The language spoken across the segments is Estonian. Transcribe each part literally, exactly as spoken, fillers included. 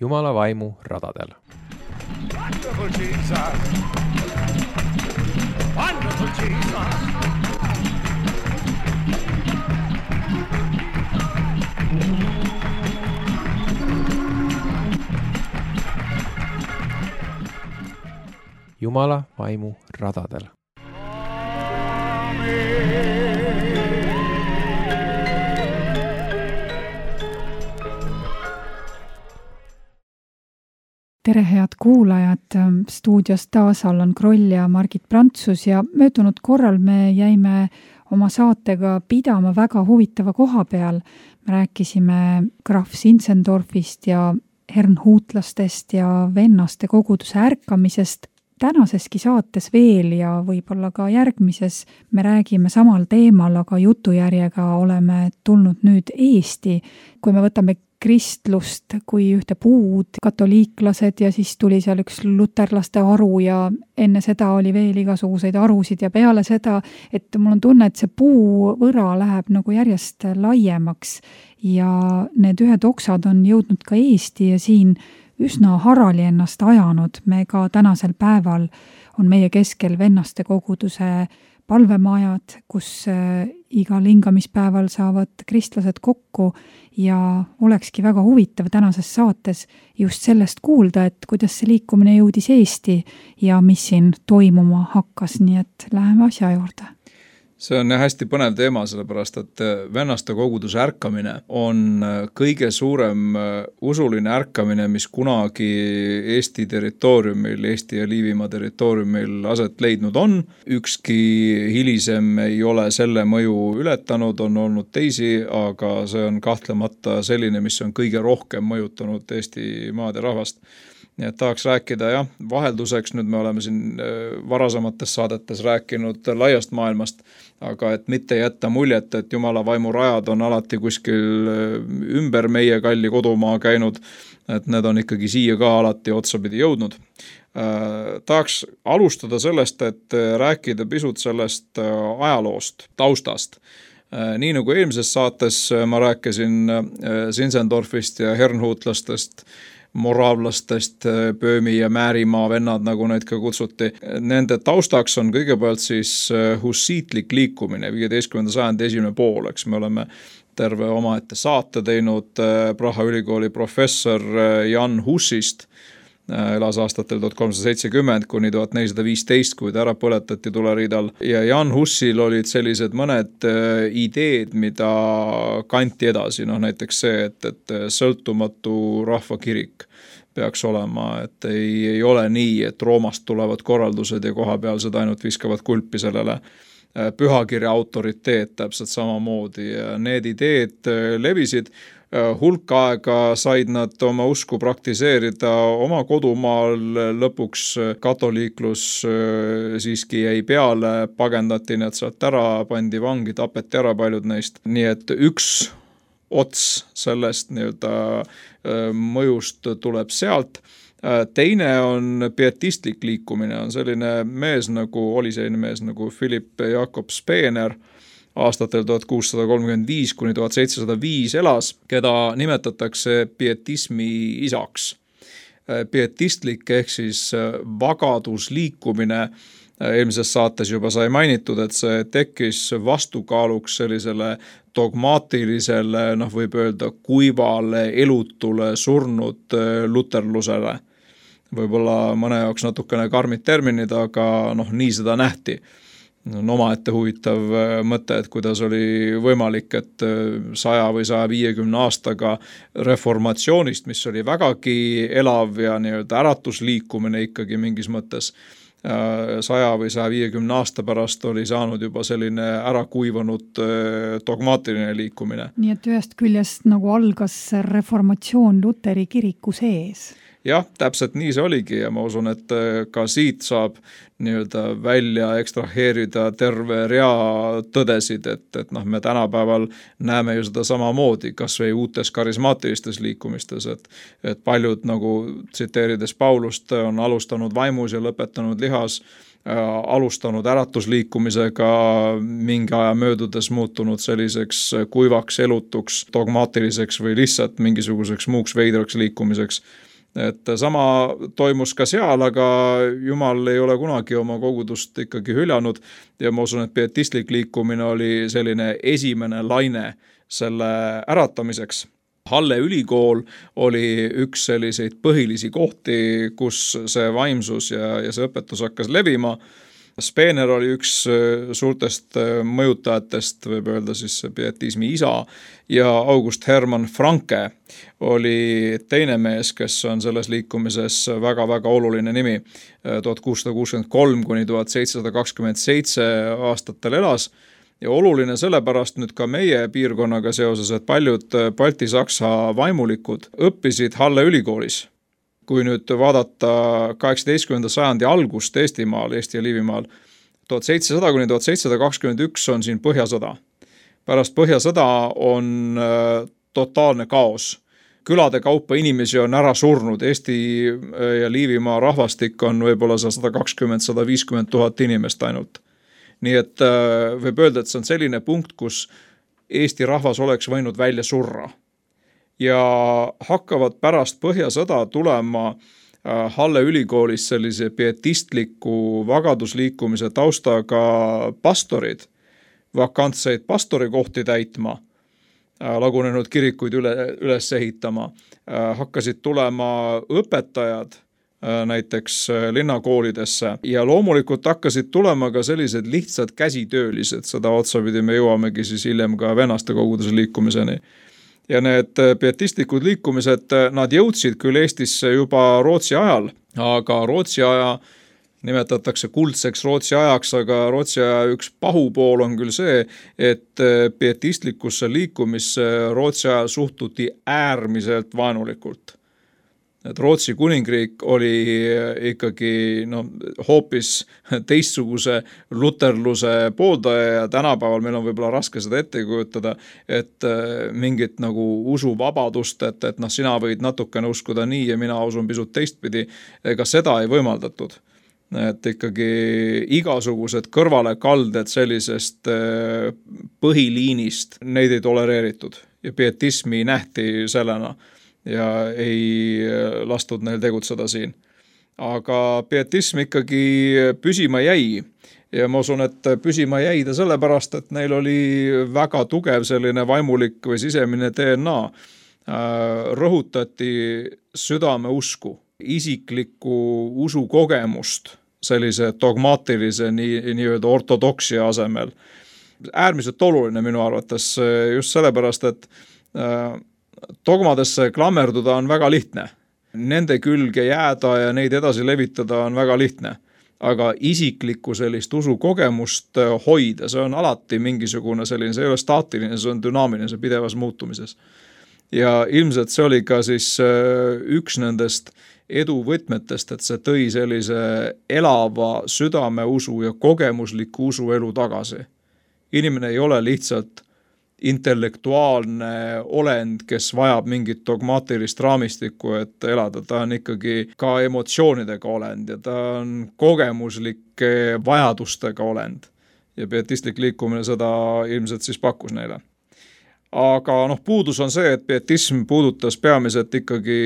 Jumala vaimu radadel. Wonderful Jesus. Wonderful Jesus. Jumala vaimu radadel. Tere head kuulajad, stuudios taas Allan Kroll ja Margit Prantsus ja möödunud korral me jäime oma saatega pidama väga huvitava koha peal. Me rääkisime Graf Zinzendorfist ja Herrnhutlastest ja vennaste koguduse ärkamisest. Tänaseski saates veel ja võib-olla ka järgmises me räägime samal teemal, aga jutujärjega oleme tulnud nüüd Eesti. Kui me võtame kristlust kui ühte puud, katoliiklased ja siis tuli seal üks luterlaste aru ja enne seda oli veel igasuguseid arusid ja peale seda, et mul on tunne, et see puu võra läheb nagu järjest laiemaks ja need ühed oksad on jõudnud ka Eesti ja siin üsna harali ennast ajanud. Me ka tänasel päeval on meie keskel vennaste koguduse palvemajad, kus igal hingamispäeval saavad kristlased kokku ja olekski väga huvitav tänases saates just sellest kuulda, et kuidas see liikumine jõudis Eesti ja mis siin toimuma hakkas, nii et läheme asja juurde. See on hästi põnev teema, sellepärast, et vennaste koguduse ärkamine on kõige suurem usuline ärkamine, mis kunagi Eesti territooriumil, Eesti ja Liivimaa territooriumil aset leidnud on. Ükski hilisem ei ole selle mõju ületanud, on olnud teisi, aga see on kahtlemata selline, mis on kõige rohkem mõjutanud Eesti maad ja rahvast. Nii et tahaks rääkida, jah, vahelduseks, nüüd me oleme siin varasemates saadetes rääkinud laiast maailmast, aga et mitte jätta muljet, et Jumala vaimu rajad on alati kuskil ümber meie kalli kodumaa käinud, et need on ikkagi siia ka alati otsapidi jõudnud. Tahaks alustada sellest, et rääkida pisut sellest ajaloost, taustast. Nii nagu eelmises saates ma rääkisin Zinzendorfist ja Herrnhutlastest, moraavlastest, Pöömi ja Määrimaa vennad, nagu neid ka kutsuti. Nende taustaks on kõigepealt siis hussiitlik liikumine, viieteistkümnenda sajandi esimene pool, eks me oleme terve omaette saate teinud Praha ülikooli professor Jan Hussist, elas aastatel tuhat kolmsada seitsekümmend kuni tuhat nelisada viisteist, kui ta ära põletati tuleriidal. Ja Jan Hussil olid sellised mõned ideed, mida kanti edasi, noh näiteks see, et, et sõltumatu rahvakirik peaks olema, et ei, ei ole nii, et Roomast tulevad korraldused ja kohapealsed ainult viskavad kulpi sellele. Pühakirja autoriteet täpselt samamoodi ja need ideed levisid. Hulk aega said nad oma usku praktiseerida oma kodumaal, lõpuks katoliiklus siiski jäi peale, pagendati need sealt ära, pandi vangi, tapeti ära paljud neist. Nii et üks ots sellest nii-öelda mõjust tuleb sealt. Teine on pietistlik liikumine, on selline mees nagu, oli selline mees nagu Philipp Jakob Spener, aastatel tuhat kuussada kolmkümmend viis kuni tuhat seitsesada viis elas, keda nimetatakse pietismi isaks. Pietistlik ehk siis vagadusliikumine, eelmises saates juba sai mainitud, et see tekkis vastukaaluks sellisele dogmaatilisele, noh võib öelda kuivale, elutule, surnud luterlusele. Võib-olla mõne jaoks natukene karmid terminid, aga noh, nii seda nähti. On omaette huvitav mõte, et kuidas oli võimalik, et saja või saja viiekümne aastaga reformatsioonist, mis oli vägagi elav ja nii-öelda äratusliikumine ikkagi mingis mõttes, saja või saja viiekümne aasta pärast oli saanud juba selline ära kuivanud dogmaatiline liikumine. Nii et ühest küljest nagu algas reformatsioon Luteri kiriku sees. Jah, täpselt nii see oligi ja ma usun, et ka siit saab nii-öelda välja ekstraheerida terve rea tõdesid, et, et noh, me tänapäeval näeme ju seda samamoodi, kas või uutes karismaatilistes liikumistes, et, et paljud nagu tsiteerides Paulust on alustanud vaimus ja lõpetanud lihas, alustanud äratusliikumisega, mingi aja möödudes muutunud selliseks kuivaks, elutuks, dogmaatiliseks või lihtsalt mingisuguseks muuks veidraks liikumiseks. Et sama toimus ka seal, aga Jumal ei ole kunagi oma kogudust ikkagi hüljanud ja ma usun, et pietistlik liikumine oli selline esimene laine selle äratamiseks. Halle ülikool oli üks selliseid põhilisi kohti, kus see vaimsus ja, ja see õpetus hakkas levima. Spener oli üks suurtest mõjutajatest, võib öelda siis pietismi isa, ja August Hermann Franke oli teine mees, kes on selles liikumises väga-väga oluline nimi. tuhat kuussada kuuskümmend kolm kuni tuhat seitsesada kakskümmend seitse aastatel elas. Ja oluline sellepärast nüüd ka meie piirkonnaga seoses, et paljud Balti-Saksa vaimulikud õppisid Halle ülikoolis. Kui nüüd vaadata kaheksateistkümnenda sajandi algust Eestimaal, Eesti ja Liivimaal, tuhat seitsesada kuni tuhat seitsesada kakskümmend üks on siin põhjasõda. Pärast põhjasõda on totaalne kaos. Külade kaupa inimesi on ära surnud. Eesti ja Liivimaa rahvastik on võib-olla sada kakskümmend - sada viiskümmend tuhat inimest ainult. Nii et võib öelda, et see on selline punkt, kus Eesti rahvas oleks võinud välja surra. Ja hakkavad pärast põhjasõda tulema Halle ülikoolis sellise pietistliku vagadusliikumise taustaga pastorid, vakantseid pastorikohti täitma, lagunenud kirikuid üle, üles ehitama, hakkasid tulema õpetajad näiteks linnakoolidesse ja loomulikult hakkasid tulema ka sellised lihtsad käsitöölised, seda otsapidi me jõuamegi siis hiljem ka vennaste koguduse liikumiseni. Ja need pietistlikud liikumised, nad jõudsid küll Eestisse juba Rootsi ajal, aga Rootsi aja nimetatakse kuldseks Rootsi ajaks, aga Rootsi aja üks pahupool on küll see, et pietistlikusse liikumisse Rootsi ajal suhtuti äärmiselt vaenulikult. Et Rootsi kuningriik oli ikkagi no, hoopis teistsuguse luterluse pooldaja ja tänapäeval meil on võib-olla raske seda ette kujutada, et mingit nagu usuvabadust, et, et noh, sina võid natukene uskuda nii ja mina usun pisut teistpidi, ega seda ei võimaldatud. Et ikkagi igasugused kõrvalekalded sellisest põhiliinist, neid ei tolereeritud ja pietismi nähti sellena ja ei lastud neil tegutseda siin. Aga pietism ikkagi püsima jäi ja ma usun, et püsima jäi ta sellepärast, et neil oli väga tugev selline vaimulik või sisemine D N A. Rõhutati südame usku, isiklikku usukogemust sellise dogmaatilise nii, nii-öelda ortodoksia asemel. Äärmiselt oluline minu arvates just sellepärast, et dogmadesse klammerduda on väga lihtne. Nende külge jääda ja neid edasi levitada on väga lihtne. Aga isiklikku sellist usukogemust hoida, see on alati mingisugune selline, see ei ole staatiline, see on dünaamiline, see pidevas muutumises. Ja ilmselt see oli ka siis üks nendest eduvõtmetest, et see tõi sellise elava südameusu ja kogemusliku usuelu tagasi. Inimene ei ole lihtsalt intellektuaalne olend, kes vajab mingit dogmaatilist raamistikku, et elada. Ta on ikkagi ka emotsioonidega olend ja ta on kogemuslike vajadustega olend. Ja pietistlik liikumine seda ilmselt siis pakkus neile. Aga noh, puudus on see, et pietism puudutas peamiselt ikkagi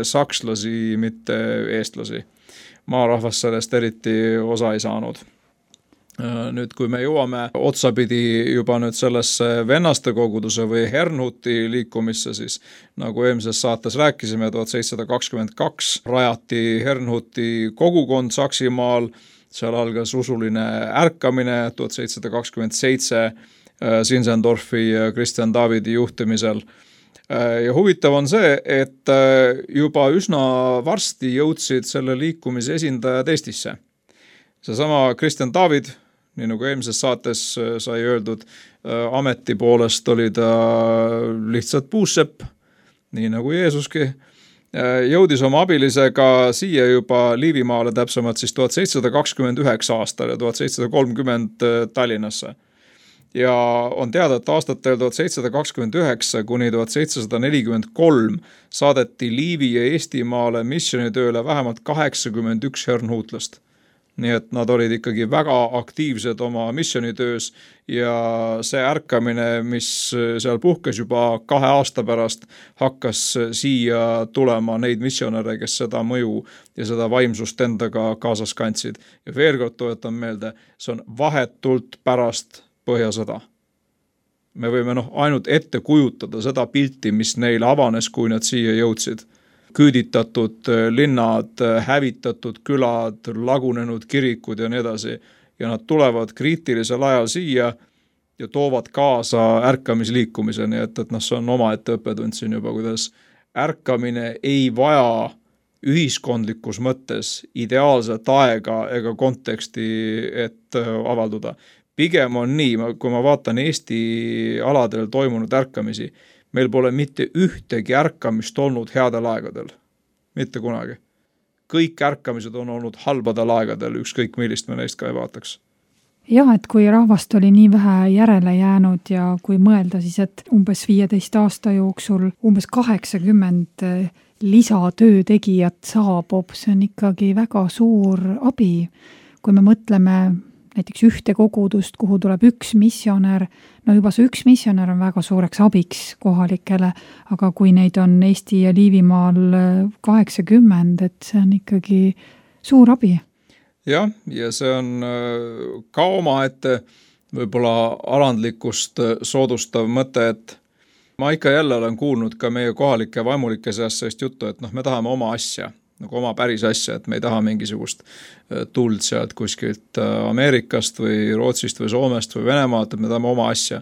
sakslasi, mitte eestlasi. Maarahvas sellest eriti osa ei saanud. Nüüd, kui me jõuame otsapidi juba nüüd sellesse vennaste koguduse või Herrnhuti liikumisse, siis nagu eelmises saates rääkisime, tuhat seitsesada kakskümmend kaks rajati Herrnhuti kogukond Saksimaal, seal algas usuline ärkamine tuhat seitsesada kakskümmend seitse Sinsendorfi ja Christian Davidi juhtimisel. Ja huvitav on see, et juba üsna varsti jõudsid selle liikumise esindajad Eestisse. Seesama Christian David, nii nagu eelmises saates sai öeldud, ameti poolest oli ta lihtsalt puussepp, nii nagu Jeesuski, jõudis oma abilisega siia juba Liivimaale, täpsemalt siis tuhat seitsesada kakskümmend üheksa aastal ja tuhat seitsesada kolmkümmend Tallinnasse. Ja on teada, et aastatel tuhat seitsesada kakskümmend üheksa kuni tuhat seitsesada nelikümmend kolm saadeti Liivi ja Eestimaale missionitööle vähemalt kaheksakümmend üks herrnhuutlast. nii et nad olid ikkagi väga aktiivsed oma missionitöös ja see ärkamine, mis seal puhkes juba kahe aasta pärast, hakkas siia tulema neid missionäre, kes seda mõju ja seda vaimsust endaga kaasas kandsid. Ja veel kord toetan meelde, see on vahetult pärast Põhjasõda. Me võime noh, ainult ette kujutada seda pilti, mis neil avanes, kui nad siia jõudsid. Küüditatud linnad, hävitatud külad, lagunenud kirikud ja nii edasi. Ja nad tulevad kriitilisel ajal siia ja toovad kaasa ärkamisliikumise, nii et, et noh, see on oma ette õppetund siin juba, kuidas ärkamine ei vaja ühiskondlikus mõttes ideaalset aega ega konteksti, et avalduda. Pigem on nii, kui ma vaatan Eesti aladel toimunud ärkamisi, meil pole mitte ühtegi ärkamist olnud headel aegadel. Mitte kunagi. Kõik ärkamised on olnud halbadel aegadel, ükskõik millist me neist ka ei vaataks. Jah, et kui rahvast oli nii vähe järele jäänud ja kui mõelda siis, et umbes viieteist aasta jooksul umbes kaheksakümmend lisatöötegijat saabub, see on ikkagi väga suur abi. Kui me mõtleme näiteks ühte kogudust, kuhu tuleb üks missionär, no juba see üks missionär on väga suureks abiks kohalikele, aga kui neid on Eesti ja Liivimaal kaheksakümmend, et see on ikkagi suur abi. Jah, ja see on ka oma ette võib-olla alandlikkust soodustav mõte, et ma ikka jälle olen kuulnud ka meie kohalike vaimulike seast sellist juttu, et noh, me tahame oma asja, nagu oma päris asja, et me ei taha mingisugust tuld sealt kuskilt Ameerikast või Rootsist või Soomest või Venemaalt, et me tahame oma asja.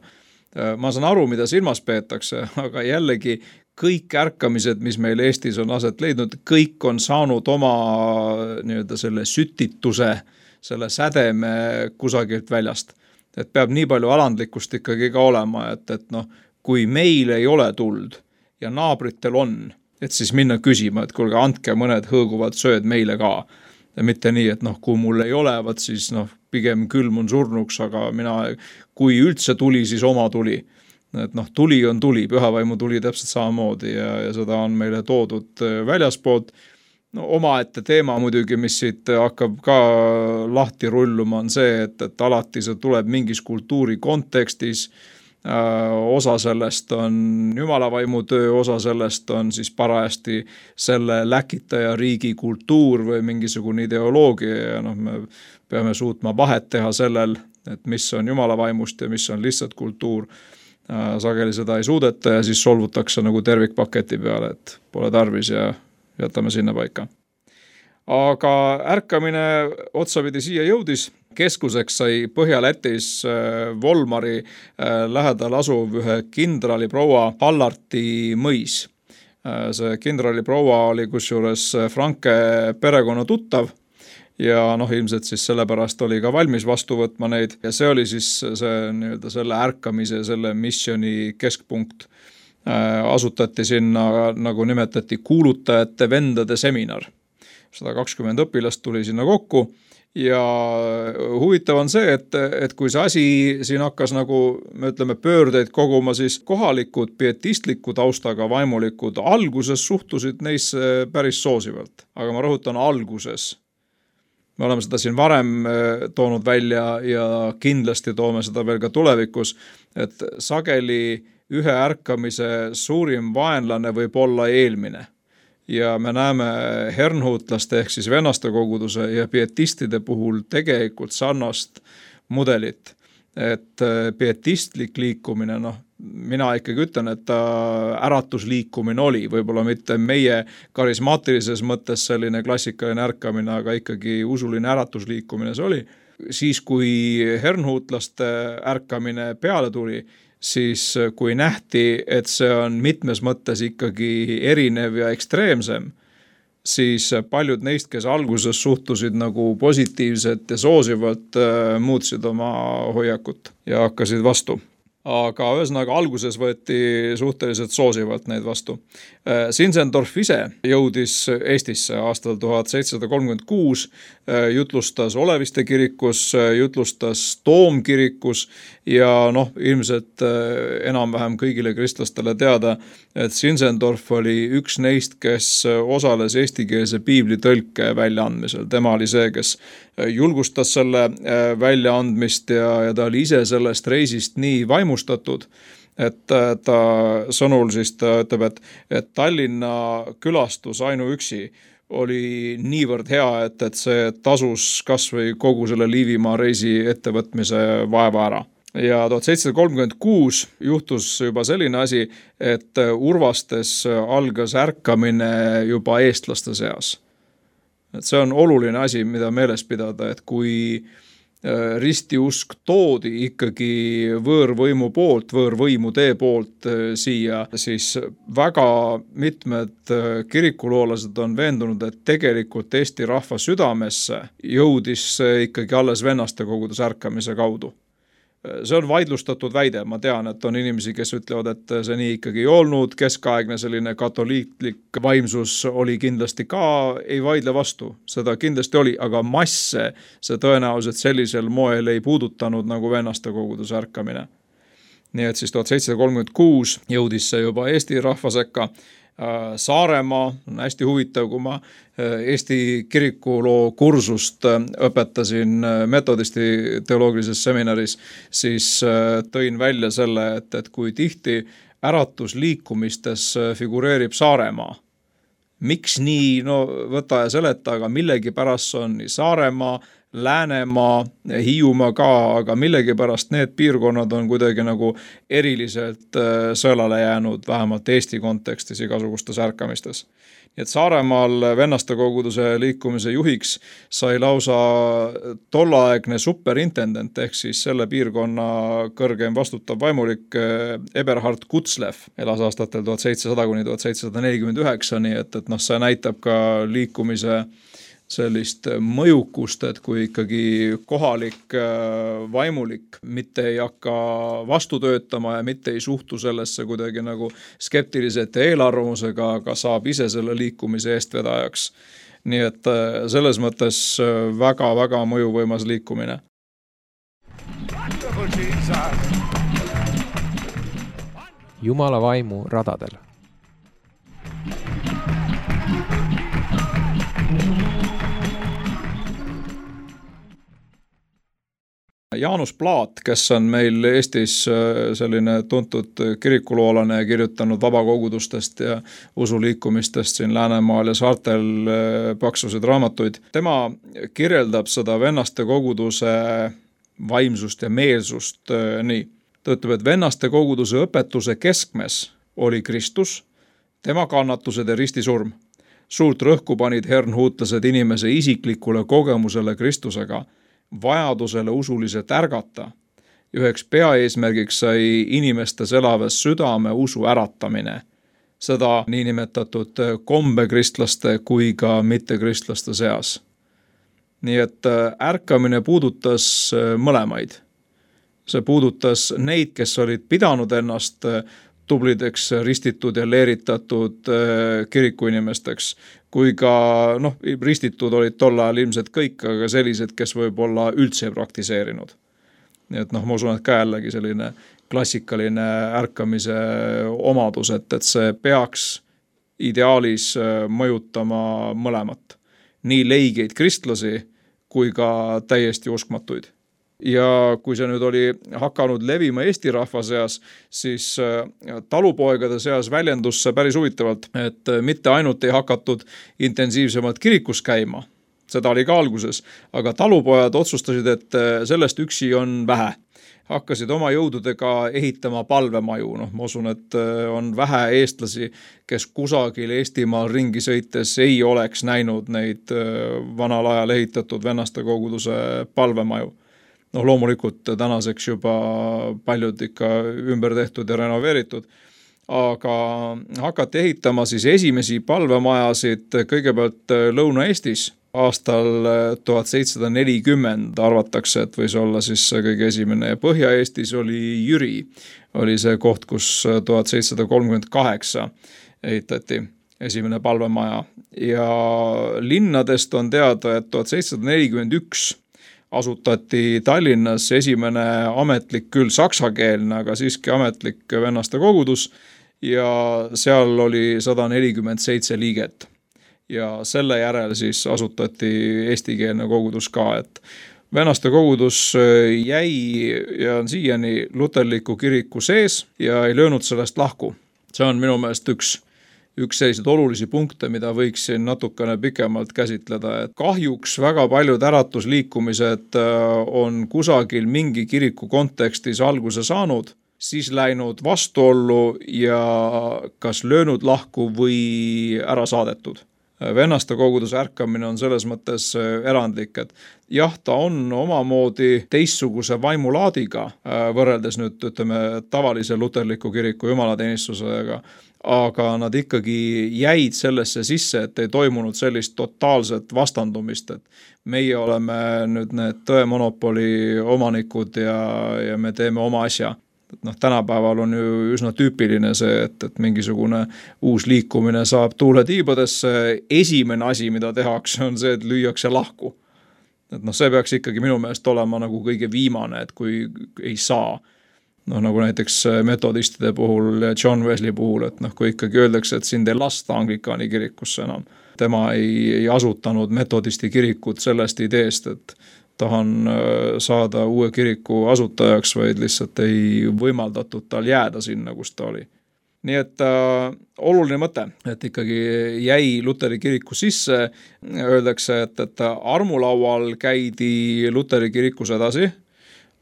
Ma saan aru, mida silmas peetakse, aga jällegi kõik ärkamised, mis meil Eestis on aset leidnud, kõik on saanud oma nii-öelda selle sütituse, selle sädeme kusagilt väljast. Et peab nii palju alandlikkust ikkagi ka olema, et, et noh, kui meil ei ole tuld ja naabritel on, et siis minna küsima, et kuulge, andke mõned hõõguvad sööd meile ka. Ja mitte nii, et noh, kui mul ei ole, vaat siis noh, pigem külmun surnuks, aga mina, kui üldse tuli, siis oma tuli. Et noh, tuli on tuli, pühavaimu tuli täpselt samamoodi ja, ja seda on meile toodud väljaspoolt. No, oma ette teema muidugi, mis siit hakkab ka lahti rulluma, on see, et, et alati see tuleb mingis kultuuri kontekstis. Osa sellest on jumalavaimu töö, osa sellest on siis parajasti selle läkitaja riigi kultuur või mingisugune ideoloogia ja noh, me peame suutma vahet teha sellel, et mis on jumalavaimust ja mis on lihtsalt kultuur. Sageli seda ei suudeta ja siis solvutakse nagu tervikpaketi peale, et pole tarvis ja jätame sinna paika. Aga ärkamine otsapidi siia jõudis. Keskuseks sai Põhja-Lätis Volmari lähedal asuv ühe kindrali proua Hallarti mõis. See kindrali proua oli kusjuures Franke perekonna tuttav ja noh, ilmselt siis sellepärast oli ka valmis vastu võtma neid ja see oli siis see, nii-öelda selle ärkamise, selle missioni keskpunkt. Asutati sinna, nagu nimetati, kuulutajate vendade seminar. sada kakskümmend õpilast tuli sinna kokku ja huvitav on see, et, et kui see asi siin hakkas nagu, me ütleme, pöördeid koguma, siis kohalikud pietistliku taustaga vaimulikud alguses suhtusid neisse päris soosivalt. Aga ma rõhutan alguses. Me oleme seda siin varem toonud välja ja kindlasti toome seda veel ka tulevikus, et sageli ühe ärkamise suurim vaenlane võib olla eelmine. Ja me näeme hernhuutlaste ehk siis vennaste koguduse ja pietistide puhul tegelikult sarnast mudelit. Et pietistlik liikumine, noh, mina ikkagi ütlen, et äratusliikumine oli, võib-olla mitte meie karismaatilises mõttes selline klassikaline ärkamine, aga ikkagi usuline äratusliikumine see oli. Siis kui hernhuutlaste ärkamine peale tuli, siis kui nähti, et see on mitmes mõttes ikkagi erinev ja ekstreemsem, siis paljud neist, kes alguses suhtusid nagu positiivselt ja soosivalt, muutsid oma hoiakut ja hakkasid vastu. aga ühesõnaga alguses võeti suhteliselt soosivalt neid vastu. Zinzendorf ise jõudis Eestisse aastal tuhat seitsesada kolmkümmend kuus, jutlustas Oleviste kirikus, jutlustas Toomkirikus ja noh, ilmselt enam-vähem kõigile kristlastele teada, et Zinzendorf oli üks neist, kes osales eestikeelse piibli tõlke väljaandmisel. Tema oli see, kes julgustas selle väljaandmist ja, ja ta oli ise sellest reisist nii vaimustatud, et ta sõnul siis ta ütleb, et, et Tallinna külastus ainuüksi oli niivõrd hea, et, et see tasus kas või kogu selle Liivimaa reisi ettevõtmise vaeva ära. Ja tuhat seitsesada kolmkümmend kuus juhtus juba selline asi, et Urvastes algas ärkamine juba eestlaste seas. Et see on oluline asi, mida meeles pidada, et kui ristiusk toodi ikkagi võõrvõimu poolt, võõrvõimude poolt siia, siis väga mitmed kirikuloolased on veendunud, et tegelikult Eesti rahva südamesse jõudis see ikkagi alles vennaste koguduse ärkamise kaudu. See on vaidlustatud väide, ma tean, et on inimesi, kes ütlevad, et see nii ikkagi ei olnud, keskaegne selline katoliiklik vaimsus oli kindlasti ka, ei vaidle vastu, seda kindlasti oli, aga masse see tõenäoliselt sellisel moel ei puudutanud nagu vennaste koguduse ärkamine. Nii et siis tuhat seitsesada kolmkümmend kuus jõudis see juba Eesti rahva sekka. Saaremaa on hästi huvitav, kui ma Eesti kirikuloo kursust õpetasin metodisti teoloogilises seminaris, siis tõin välja selle, et, et kui tihti äratusliikumistes figureerib Saaremaa. Miks nii, no võta ja seleta, aga millegi pärast on nii Saaremaa, Läänemaa, Hiiumaa ka, aga millegi pärast need piirkonnad on kuidagi nagu eriliselt sõelale jäänud, vähemalt Eesti kontekstis igasugustes ärkamistes. Nii et Saaremaal vennaste koguduse liikumise juhiks sai lausa tollaegne superintendent, ehk siis selle piirkonna kõrgeim vastutav vaimulik Eberhard Kutzlev, elas aastatel tuhat seitsesada kuni tuhat seitsesada nelikümmend üheksa, nii et, et noh, see näitab ka liikumise sellist mõjukust, et kui ikkagi kohalik vaimulik mitte ei hakka vastu töötama ja mitte ei suhtu sellesse kuidagi nagu skeptiliselt ja eelarvamusega, aga saab ise selle liikumise eestvedajaks. Nii et selles mõttes väga-väga mõjuvõimas liikumine. Jumala vaimu radadel. Jaanus Plaat, kes on meil Eestis selline tuntud kirikuloolane ja kirjutanud vabakogudustest ja usuliikumistest siin Läänemaal ja saartel paksusid raamatuid. Tema kirjeldab seda vennaste koguduse vaimsust ja meelsust nii. Ta ütleb, et vennaste koguduse õpetuse keskmes oli Kristus, tema kannatused ja ristisurm. Suurt rõhku panid hernhuutlased inimese isiklikule kogemusele Kristusega, vajadusele usuliselt ärgata. Üheks peaeesmärgiks sai inimestes elavas südame usu äratamine. Seda niinimetatud kombekristlaste kui ka mittekristlaste seas. Nii et ärkamine puudutas mõlemaid. See puudutas neid, kes olid pidanud ennast tublideks ristitud ja leeritatud kirikuinimesteks, kui ka noh, ristitud olid tol ajal ilmselt kõik, aga sellised, kes võib-olla üldse ei praktiseerinud. Nii et noh, ma usun, et ka jällegi selline klassikaline ärkamise omadus, et, et see peaks ideaalis mõjutama mõlemat. Nii leigeid kristlasi kui ka täiesti uskmatuid. Ja kui see nüüd oli hakanud levima Eesti rahva seas, siis talupoegade seas väljendus see päris huvitavalt, et mitte ainult ei hakatud intensiivsemalt kirikus käima, seda oli ka alguses, aga talupojad otsustasid, et sellest üksi on vähe. Hakkasid oma jõududega ehitama palvemaju, noh ma usun, et on vähe eestlasi, kes kusagil Eestimaal ringi sõites ei oleks näinud neid vanal ajal ehitatud vennaste koguduse palvemaju. Noh, loomulikult tänaseks juba paljud ikka ümber tehtud ja renoveeritud, aga hakati ehitama siis esimesi palvemajasid kõigepealt Lõuna-Eestis aastal tuhat seitsesada nelikümmend arvatakse, et võis olla siis kõige esimene ja Põhja-Eestis oli Jüri, oli see koht, kus tuhat seitsesada kolmkümmend kaheksa ehitati esimene palvemaja ja linnadest on teada, et tuhat seitsesada nelikümmend üks asutati Tallinnas esimene ametlik, küll saksakeelne, aga siiski ametlik vennaste kogudus ja seal oli sada nelikümmend seitse liiget. Ja selle järel siis asutati eestikeelne kogudus ka, et vennaste kogudus jäi ja on siiani luterliku kiriku sees ja ei löönud sellest lahku. See on minu meelest üks üks selliseid olulisi punkte, mida võiksin natukene pikemalt käsitleda, et kahjuks väga paljud äratusliikumised on kusagil mingi kiriku kontekstis alguse saanud, siis läinud vastuollu ja kas löönud lahku või ära saadetud. Vennaste koguduse ärkamine on selles mõttes erandlik, et jah, ta on omamoodi teistsuguse vaimulaadiga võrreldes nüüd ütleme tavalise luterliku kiriku jumalateenistusega, aga nad ikkagi jäid sellesse sisse, et ei toimunud sellist totaalset vastandumist, et meie oleme nüüd need tõemonopoli omanikud ja, ja me teeme oma asja. Et noh, tänapäeval on ju üsna tüüpiline see, et, et mingisugune uus liikumine saab tuule tiibadesse. Esimene asi, mida tehakse, on see, et lüüakse lahku. Et noh, see peaks ikkagi minu meelest olema nagu kõige viimane, et kui ei saa. Noh, nagu näiteks metodistide puhul ja John Wesley puhul, et noh, kui ikkagi öeldakse, et sind ei lasta Anglikaani kirikusse enam. Tema ei, ei asutanud metodisti kirikut sellest ideest, et tahan saada uue kiriku asutajaks, vaid lihtsalt ei võimaldatud tal jääda sinna, kus ta oli. Nii et äh, oluline mõte, et ikkagi jäi Luteri kiriku sisse, öeldakse, et, et armulaual käidi Luteri kirikus edasi,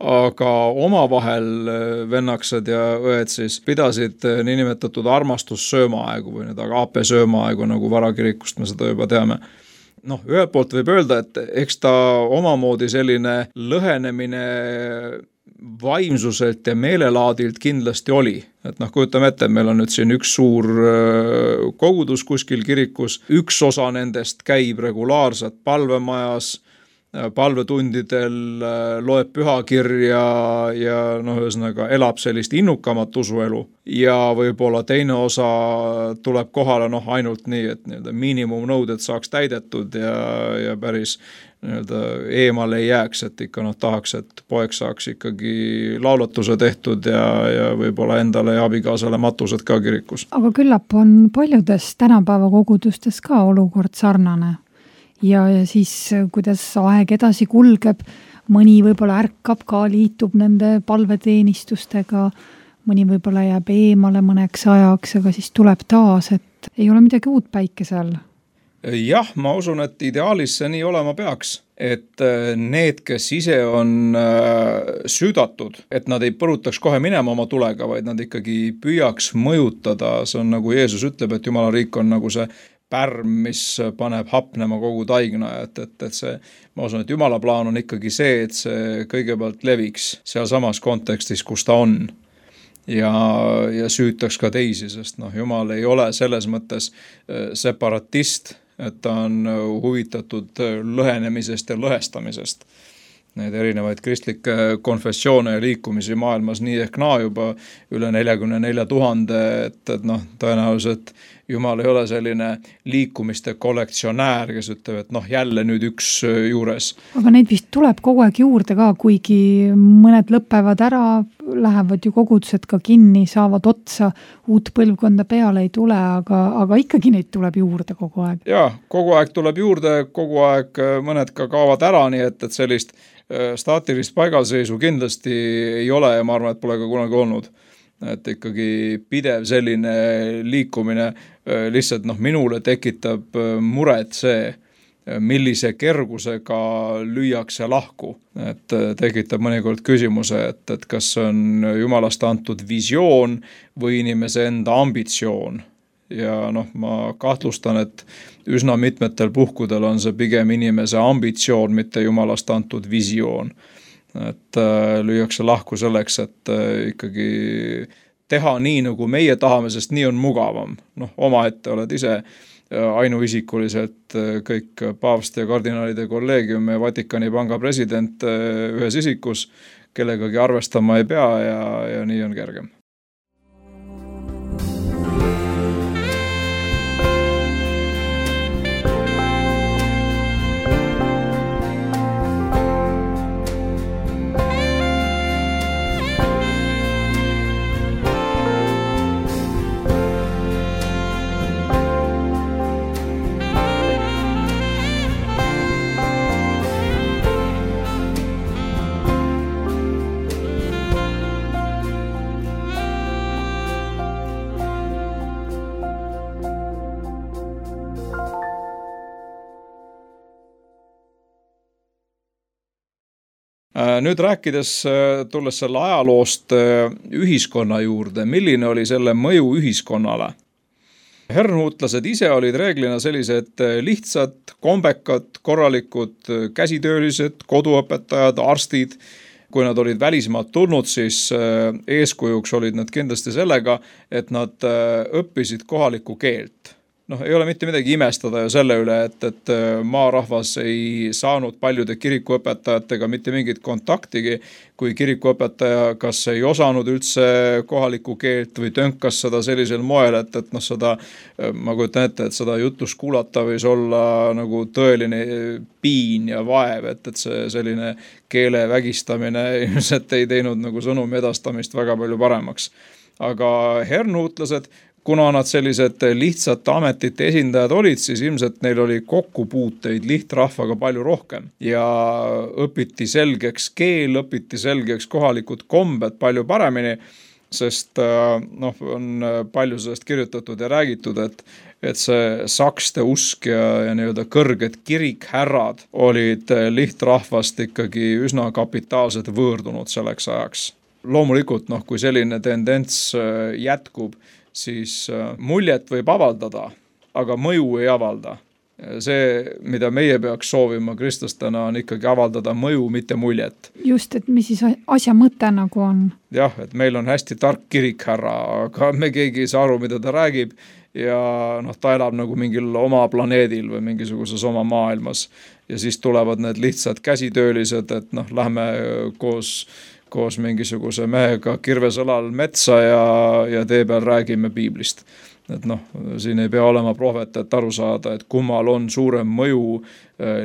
aga omavahel vennaksed ja õed siis pidasid niinimetatud armastussöömaaegu või need agape söömaaegu, nagu varakirikust me seda juba teame. Noh, ühelt poolt võib öelda, et eks ta omamoodi selline lõhenemine vaimsuselt ja meelelaadilt kindlasti oli. Et noh, kujutame ette, meil on nüüd siin üks suur kogudus kuskil kirikus, üks osa nendest käib regulaarselt palvemajas, palvetundidel loeb pühakirja ja noh, ühesõnaga elab sellist innukamat usuelu ja võib-olla teine osa tuleb kohale noh, ainult nii, et nii-öelda miinimumnõuded saaks täidetud ja, ja päris nii-öelda eemale ei jääks, et ikka noh, tahaks, et poeg saaks ikkagi laulatuse tehtud ja, ja võib-olla endale ja abikaasale matused ka kirikus. Aga küllap on paljudes tänapäeva kogudustes ka olukord sarnane. Ja, ja siis, kuidas aeg edasi kulgeb, mõni võib-olla ärkab ka, liitub nende palveteenistustega, mõni võib-olla jääb eemale mõneks ajaks, aga siis tuleb taas, et ei ole midagi uut päikese all. Jah, ma usun, et ideaalis see nii olema peaks, et need, kes ise on süüdatud, et nad ei põrutaks kohe minema oma tulega, vaid nad ikkagi püüaks mõjutada, see on nagu Jeesus ütleb, et Jumala riik on nagu see pärm, mis paneb hapnema kogu taigna, et, et, et see, ma usun, et Jumala plaan on ikkagi see, et see kõigepealt leviks seal samas kontekstis, kus ta on ja, ja süütaks ka teisi, sest noh, Jumal ei ole selles mõttes separatist, et ta on huvitatud lõhenemisest ja lõhestamisest. Need erinevaid kristlikke konfessioone ja liikumisi maailmas nii ehk naa juba üle neljakümne nelja tuhande, et, et noh, tõenäoliselt Jumal ei ole selline liikumiste kollektsionäär, kes ütleb, et noh, jälle nüüd üks juures. Aga neid vist tuleb kogu aeg juurde ka, kuigi mõned lõpevad ära, lähevad ju kogudused ka kinni, saavad otsa, uut põlvkonda peale ei tule, aga, aga ikkagi neid tuleb juurde kogu aeg. Jaa, kogu aeg tuleb juurde, kogu aeg mõned ka kaovad ära, nii et, et sellist staatilist paigalseisu kindlasti ei ole ja ma arvan, et pole ka kunagi olnud. Et ikkagi pidev selline liikumine lihtsalt noh, minule tekitab muret see, millise kergusega lüüakse lahku. Et tekitab mõnikord küsimuse, et, et kas on Jumalast antud visioon või inimese enda ambitsioon. Ja noh, ma kahtlustan, et üsna mitmetel puhkudel on see pigem inimese ambitsioon, mitte Jumalast antud visioon. Et äh, lüüakse lahku selleks, et äh, ikkagi teha nii, nagu meie tahame, sest nii on mugavam. Noh, oma ette oled ise ainuisikuliselt kõik paavst ja kardinaalide kolleegium ja Vatikani panga president ühes isikus, kellegagi arvestama ei pea ja, ja nii on kergem. Nüüd rääkides, tulles selle ajaloost ühiskonna juurde, milline oli selle mõju ühiskonnale? Herrnhutlased ise olid reeglina sellised lihtsad, kombekad, korralikud käsitöölised, koduõpetajad, arstid. Kui nad olid välismaalt tulnud, siis eeskujuks olid nad kindlasti sellega, et nad õppisid kohalikku keelt. Noh, ei ole mitte midagi imestada ju selle üle, et, et maarahvas ei saanud paljude kirikuõpetajatega mitte mingit kontaktigi, kui kirikuõpetaja kas ei osanud üldse kohalikku keelt või tönkas seda sellisel moel, et, et noh, seda, ma kujutan ette, et seda jutust kuulata võis olla nagu tõeline piin ja vaev, et, et see selline keele vägistamine ilmselt ei teinud nagu sõnumi edastamist väga palju paremaks. Aga herrnhutlased, kuna nad sellised lihtsate ametite esindajad olid, siis ilmselt neil oli kokkupuuteid lihtrahvaga palju rohkem ja õpiti selgeks keel, õpiti selgeks kohalikud kombed palju paremini, sest noh, on palju sellest kirjutatud ja räägitud, et, et see sakste usk ja, ja nii-öelda kõrged kirikhärrad olid lihtrahvast ikkagi üsna kapitaalselt võõrdunud selleks ajaks. Loomulikult, noh, kui selline tendents jätkub, siis muljet võib avaldada, aga mõju ei avalda. See, mida meie peaks soovima kristlastena, on ikkagi avaldada mõju, mitte muljet. Just, et mis siis asja mõte nagu on? Jah, et meil on hästi tark kirikhärra, aga me keegi ei saa aru, mida ta räägib ja noh, ta elab nagu mingil oma planeedil või mingisuguses oma maailmas. Ja siis tulevad need lihtsad käsitöölised, et noh, lähme koos koos mingisuguse mehega kirvesõlal metsa ja, ja tee peal räägime piiblist. Et noh, siin ei pea olema prohvet, et aru saada, et kummal on suurem mõju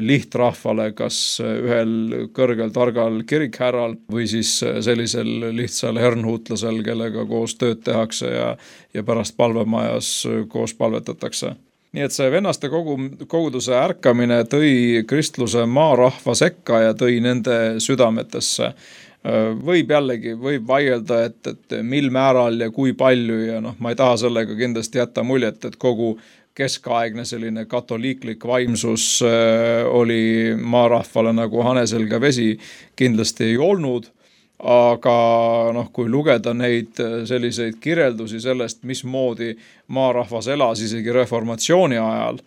lihtrahvale, kas ühel kõrgel targal kirikhärral või siis sellisel lihtsal herrnhutlasel, kellega koos tööd tehakse ja, ja pärast palvemajas koos palvetatakse. Nii et see vennaste kogu, koguduse ärkamine tõi kristluse maarahva sekka ja tõi nende südametesse. Võib jällegi, võib vaielda, et, et mil määral ja kui palju ja noh, ma ei taha sellega kindlasti jätta muljet, et kogu keskaegne selline katoliiklik vaimsus oli maarahvale nagu haneselga vesi, kindlasti ei olnud, aga noh, kui lugeda neid selliseid kirjeldusi sellest, mismoodi maarahvas elas isegi reformatsiooni ajal,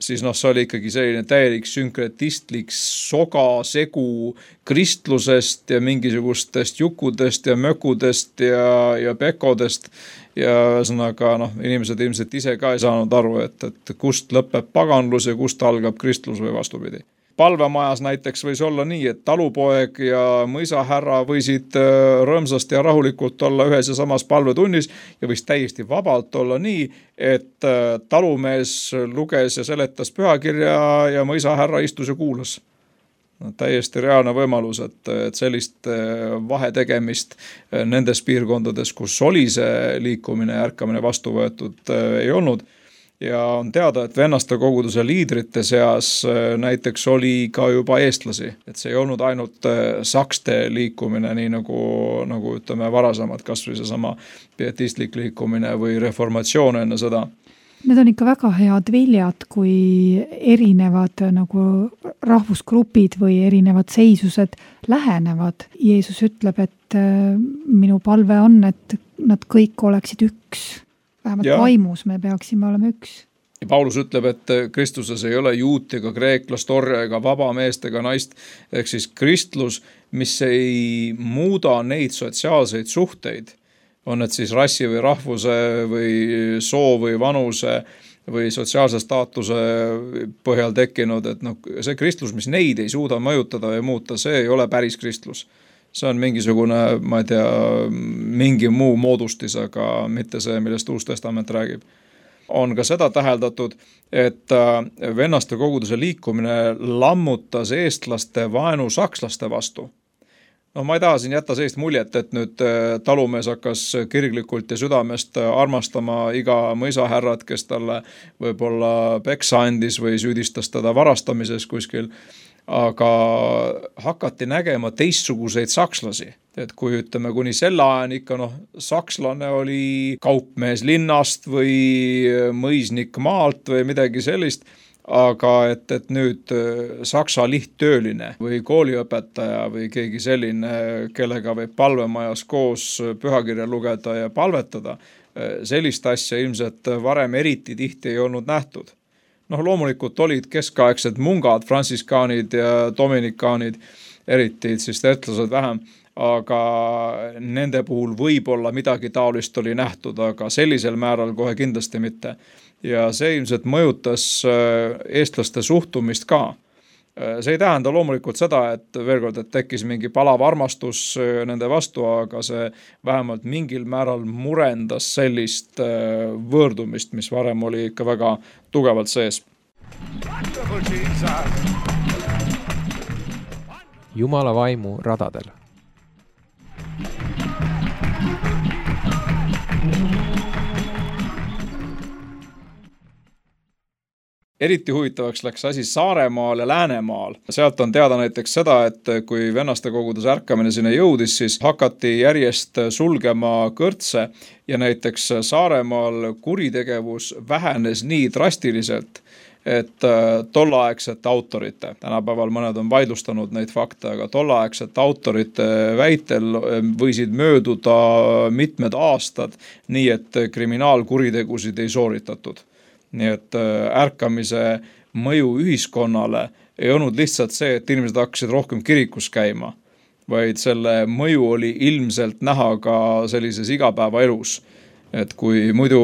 siis noh, see oli ikkagi selline täielik sünkretistlik soga segu kristlusest ja mingisugustest jukudest ja mökudest ja, ja pekodest ja ühesõnaga noh, inimesed ilmselt ise ka ei saanud aru, et, et kust lõpeb paganlus ja kust algab kristlus või vastupidi. Palvemajas näiteks võis olla nii, et talupoeg ja mõisahärra võisid rõõmsasti ja rahulikult olla ühes ja samas palvetunnis ja võis täiesti vabalt olla nii, et talumees luges ja seletas pühakirja ja mõisahärra istus ja kuulas. No, täiesti reaalne võimalus, et, et sellist vahetegemist nendes piirkondades, kus oli see liikumine ja ärkamine vastu võetud, ei olnud. Ja on teada, et vennaste koguduse liidrite seas näiteks oli ka juba eestlasi, et see ei olnud ainult sakste liikumine, nii nagu, nagu ütleme varasemad, kas või seesama pietistlik liikumine või reformatsioon enne seda. Need on ikka väga head viljad, kui erinevad nagu rahvusgrupid või erinevad seisused lähenevad. Jeesus ütleb, et minu palve on, et nad kõik oleksid üks. Vähemalt ja. Vaimus me peaksime olema üks. Ja Paulus ütleb, et Kristuses ei ole juut ega kreeklast, orja ega vaba meest ega naist, ehk siis kristlus, mis ei muuda neid sotsiaalseid suhteid, on need siis rassi või rahvuse või soo või vanuse või sotsiaalse staatuse põhjal tekkinud, et noh, see kristlus, mis neid ei suuda mõjutada ja muuta, see ei ole päris kristlus. See on mingisugune, ma ei tea, mingi muu moodustis, aga mitte see, millest Uus Testament räägib. On ka seda täheldatud, et vennaste koguduse liikumine lammutas eestlaste vaenu sakslaste vastu. No ma ei taha siin jätta sellist muljet, et nüüd talumees hakkas kirglikult ja südamest armastama iga mõisahärrat, kes talle võib-olla peksa andis või süüdistas teda varastamises kuskil, aga hakati nägema teistsuguseid sakslasi. Et kui ütleme kuni selle ajan ikka, noh, sakslane oli kaupmees linnast või mõisnik maalt või midagi sellist, aga et, et nüüd saksa lihttööline või kooliõpetaja või keegi selline, kellega võib palvemajas koos pühakirja lugeda ja palvetada, sellist asja ilmselt varem eriti tihti ei olnud nähtud. Noh, loomulikult olid keskaegsed mungad, fransiskaanid ja dominikaanid, eriti siis tertlased vähem, aga nende puhul võib-olla midagi taolist oli nähtud, aga sellisel määral kohe kindlasti mitte. Ja see ilmselt mõjutas eestlaste suhtumist ka. See ei tähenda loomulikult seda, et veel kord, et tekkis mingi palav armastus nende vastu, aga see vähemalt mingil määral murendas sellist võõrdumist, mis varem oli ikka väga tugevalt sees. Jumala vaimu radadel. Eriti huvitavaks läks asi Saaremaal ja Läänemaal. Sealt on teada näiteks seda, et kui vennaste koguduse ärkamine sinna jõudis, siis hakati järjest sulgema kõrtse ja näiteks Saaremaal kuritegevus vähenes nii drastiliselt, et tolleaegsete autorite, tänapäeval mõned on vaidlustanud neid fakte, aga tolleaegsete autorite väitel võisid mööduda mitmed aastad, nii et kriminaalkuritegusid ei sooritatud. Nii et ärkamise mõju ühiskonnale ei olnud lihtsalt see, et inimesed hakkasid rohkem kirikus käima, vaid selle mõju oli ilmselt näha ka sellises igapäevaelus. Et kui muidu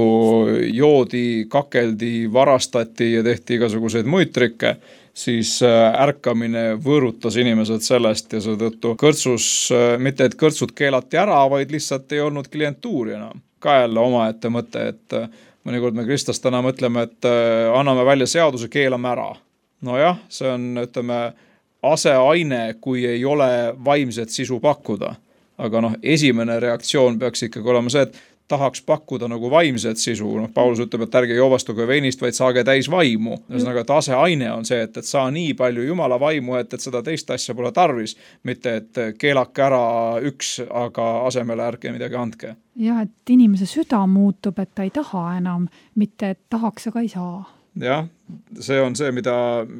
joodi, kakeldi, varastati ja tehti igasuguseid muid trikke, siis ärkamine võõrutas inimesed sellest ja seetõttu kõrtsus, mitte et kõrtsud keelati ära, vaid lihtsalt ei olnud klientuuri enam. Ka jälle omaette mõte, et mõnikord me kristlastena mõtleme, et anname välja seaduse, keelame ära. No jah, see on, ütleme, aseaine, kui ei ole vaimset sisu pakkuda. Aga noh, esimene reaktsioon peaks ikkagi olema see, et tahaks pakkuda nagu vaimset sisu. No, Paulus ütleb, et ärge joovastuge veinist, vaid saage täis vaimu. Ühesõnaga, et aseaine on see, et, et saa nii palju Jumala vaimu, et, et seda teist asja pole tarvis, mitte et keelake ära üks, aga asemele ärge midagi andke. Ja, et inimese süda muutub, et ta ei taha enam, mitte et tahaks, aga ei saa. Jah, see on see, mida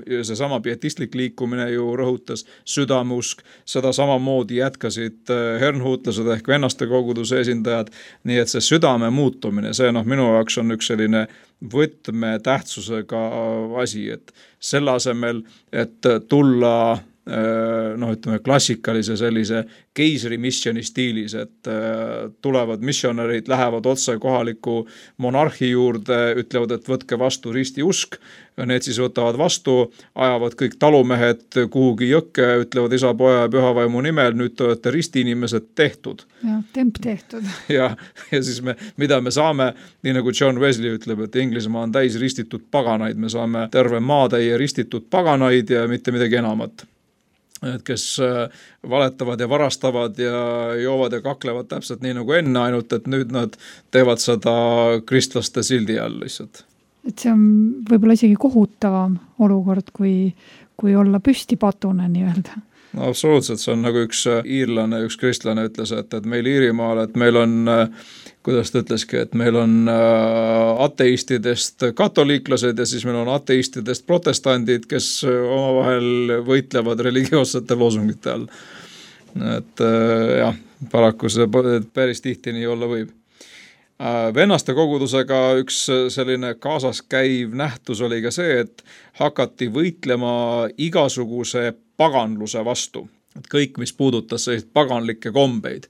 see sama pietistlik liikumine ju rõhutas, südamusk, seda samamoodi jätkasid hernhuutlased ehk vennaste koguduse esindajad, nii et see südame muutumine, see noh, minu jaoks on üks selline võtme tähtsusega asi, et selle asemel, et tulla noh, ütleme klassikalise sellise keisri missioni stiilis, et tulevad missionärid, lähevad otse kohaliku monarhi juurde, ütlevad, et võtke vastu ristiusk, need siis võtavad vastu, ajavad kõik talumehed kuhugi jõkke, ütlevad isa, poja ja pühavaimu nimel, nüüd te olete ristiinimesed tehtud. Ja, temp tehtud. Ja, ja siis me, mida me saame, nii nagu John Wesley ütleb, et Inglismaa on täis ristitud paganaid, me saame terve maatäie ristitud paganaid ja mitte midagi enamat. Et kes valetavad ja varastavad ja joovad ja kaklevad täpselt nii nagu enne, ainult et nüüd nad teevad seda kristlaste sildi all lihtsalt. Et see on võib-olla isegi kohutavam olukord, kui, kui olla püsti patune nii-öelda. No absoluutselt, see on nagu üks iirlane, üks kristlane ütles, et, et meil Iirimaal, et meil on, kuidas ta ütleski, et meil on ateistidest katoliiklased ja siis meil on ateistidest protestandid, kes omavahel võitlevad religioossete loosungite all. Et jah, paraku see päris tihti nii olla võib. Vennaste kogudusega üks selline kaasas käiv nähtus oli ka see, et hakati võitlema igasuguse paganluse vastu. Et kõik, mis puudutas selliseid paganlikke kombeid.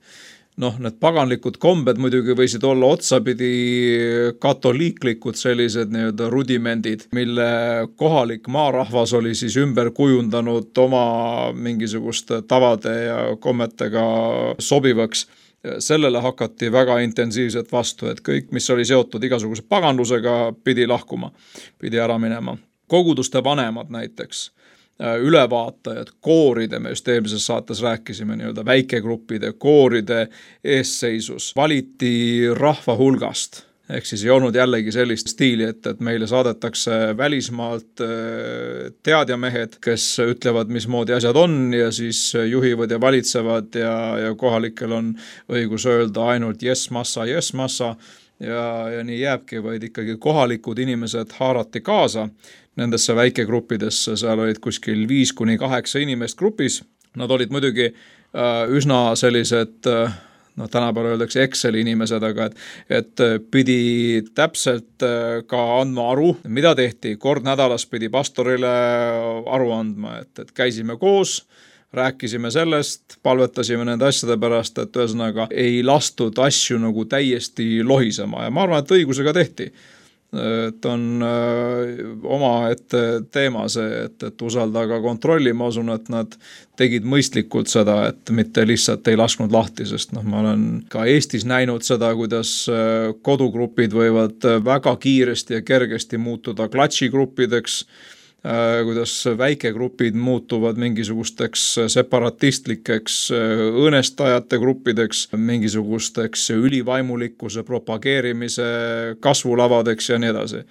noh, need paganlikud kombed muidugi võisid olla otsapidi katoliiklikud sellised nii-öelda rudimendid, mille kohalik maarahvas oli siis ümber kujundanud oma mingisuguste tavade ja kommetega sobivaks. Sellele hakati väga intensiivselt vastu, et kõik, mis oli seotud igasuguse paganlusega, pidi lahkuma, pidi ära minema. Koguduste vanemad näiteks, ülevaatajad, kooride, me just eelmises saates rääkisime nii-öelda väikegruppide, kooride eesseisus, valiti rahva hulgast, ehk siis ei olnud jällegi sellist stiili, et, et meile saadetakse välismaalt teadjamehed, kes ütlevad, mismoodi asjad on ja siis juhivad ja valitsevad ja, ja kohalikel on õigus öelda ainult yes massa, yes massa ja, ja nii jääbki, vaid ikkagi kohalikud inimesed haarati kaasa nendesse väikegruppidesse, seal olid kuskil viis kuni kaheksa inimest grupis. Nad olid muidugi äh, üsna sellised, äh, noh tänapäeval öeldakse Exceli inimesed, aga et, et pidi täpselt äh, ka andma aru, mida tehti. Kord nädalas pidi pastorile aru andma, et, et käisime koos, rääkisime sellest, palvetasime nende asjade pärast, et ühesõnaga ei lastud asju nagu täiesti lohisema ja ma arvan, et õigusega tehti. Et on öö, oma ette teema see, et, et usalda ka kontrolli, ma usun, et nad tegid mõistlikult seda, et mitte lihtsalt ei lasknud lahti, sest noh, ma olen ka Eestis näinud seda, kuidas kodugrupid võivad väga kiiresti ja kergesti muutuda klatšigruppideks, kuidas väikegrupid muutuvad mingisugusteks separatistlikeks õõnestajate gruppideks, mingisugusteks ülivaimulikkuse propageerimise kasvulavadeks ja nii edasi.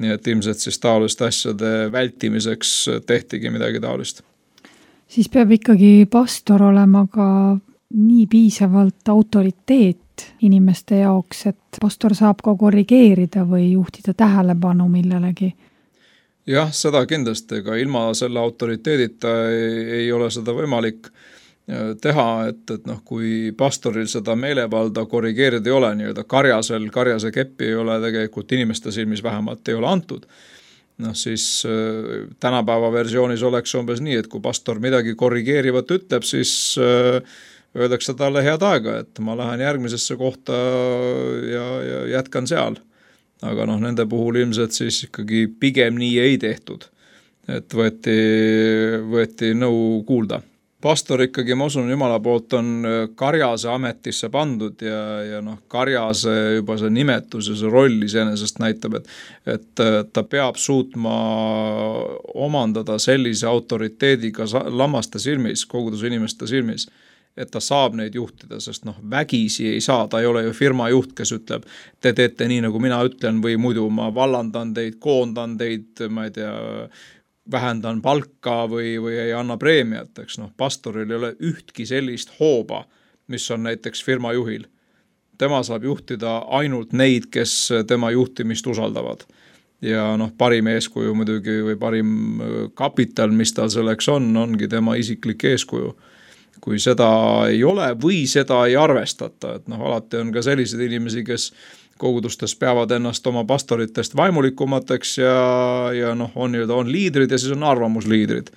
Nii et ilmselt siis taoliste asjade vältimiseks tehtigi midagi taolist. Siis peab ikkagi pastor olema ka nii piisavalt autoriteet inimeste jaoks, et pastor saab ka korrigeerida või juhtida tähelepanu millelegi. Jah, seda kindlasti, aga ilma selle autoriteedita ei, ei ole seda võimalik teha, et, et noh, kui pastoril seda meelevalda korrigeerida ei ole, nii-öelda karjasel, karjase keppi ei ole tegelikult inimeste silmis vähemalt ei ole antud. Noh, siis äh, tänapäeva versioonis oleks umbes nii, et kui pastor midagi korrigeerivat ütleb, siis äh, öeldakse talle head aega, et ma lähen järgmisesse kohta ja, ja jätkan seal. Aga noh, nende puhul ilmselt siis ikkagi pigem nii ei tehtud, et võeti, võeti nõu kuulda. Pastor ikkagi, ma usun, Jumala poolt on karjase ametisse pandud ja, ja noh, karjase juba see nimetus ja see roll iseenesest näitab, et, et ta peab suutma omandada sellise autoriteediga lammaste silmis, koguduse inimeste silmis, et ta saab neid juhtida, sest noh, vägisi ei saa, ta ei ole ju firma juht, kes ütleb, te teete nii, nagu mina ütlen või muidu ma vallandan teid, koondan teid, ma ei tea, vähendan palka või, või ei anna preemiat, eks noh, pastoril ei ole ühtki sellist hooba, mis on näiteks firma juhil. Tema saab juhtida ainult neid, kes tema juhtimist usaldavad. Ja noh, parim eeskuju muidugi või parim kapital, mis tal selleks on, ongi tema isiklik eeskuju. Kui seda ei ole või seda ei arvestata, et noh, alati on ka sellised inimesi, kes kogudustes peavad ennast oma pastoritest vaimulikumateks ja, ja noh, on, on liidrid ja siis on arvamusliidrid.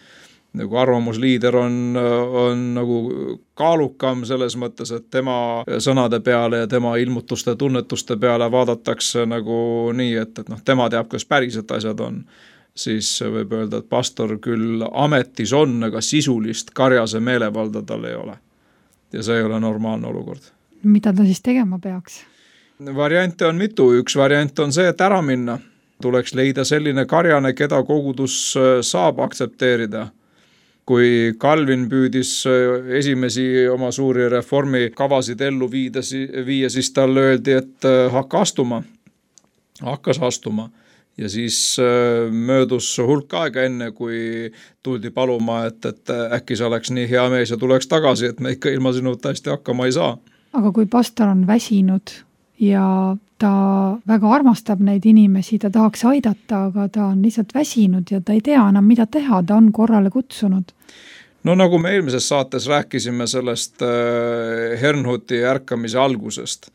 Nagu arvamusliider on, on nagu kaalukam selles mõttes, et tema sõnade peale ja tema ilmutuste tunnetuste peale vaadatakse nagu nii, et, et noh, tema teab, kas päriselt asjad on. Siis võib öelda, et pastor küll ametis on, aga sisulist karjase meelevalda tal ei ole. Ja see ei ole normaalne olukord. Mida ta siis tegema peaks? Variante on mitu. Üks variant on see, et ära minna. Tuleks leida selline karjane, keda kogudus saab aktsepteerida. Kui Calvin püüdis esimesi oma suuri reformi kavasid ellu viida, viia, siis talle öeldi, et hakka astuma. Hakkas astuma. Ja siis möödus hulk aega enne, kui tuldi paluma, et, et äkki see oleks nii hea mees ja tuleks tagasi, et me ikka ilma sinuta hästi hakkama ei saa. Aga kui pastor on väsinud ja ta väga armastab neid inimesi, ta tahaks aidata, aga ta on lihtsalt väsinud ja ta ei tea enam, mida teha, ta on korrale kutsunud. No nagu me eelmises saates rääkisime sellest Hernhuti ärkamise algusest,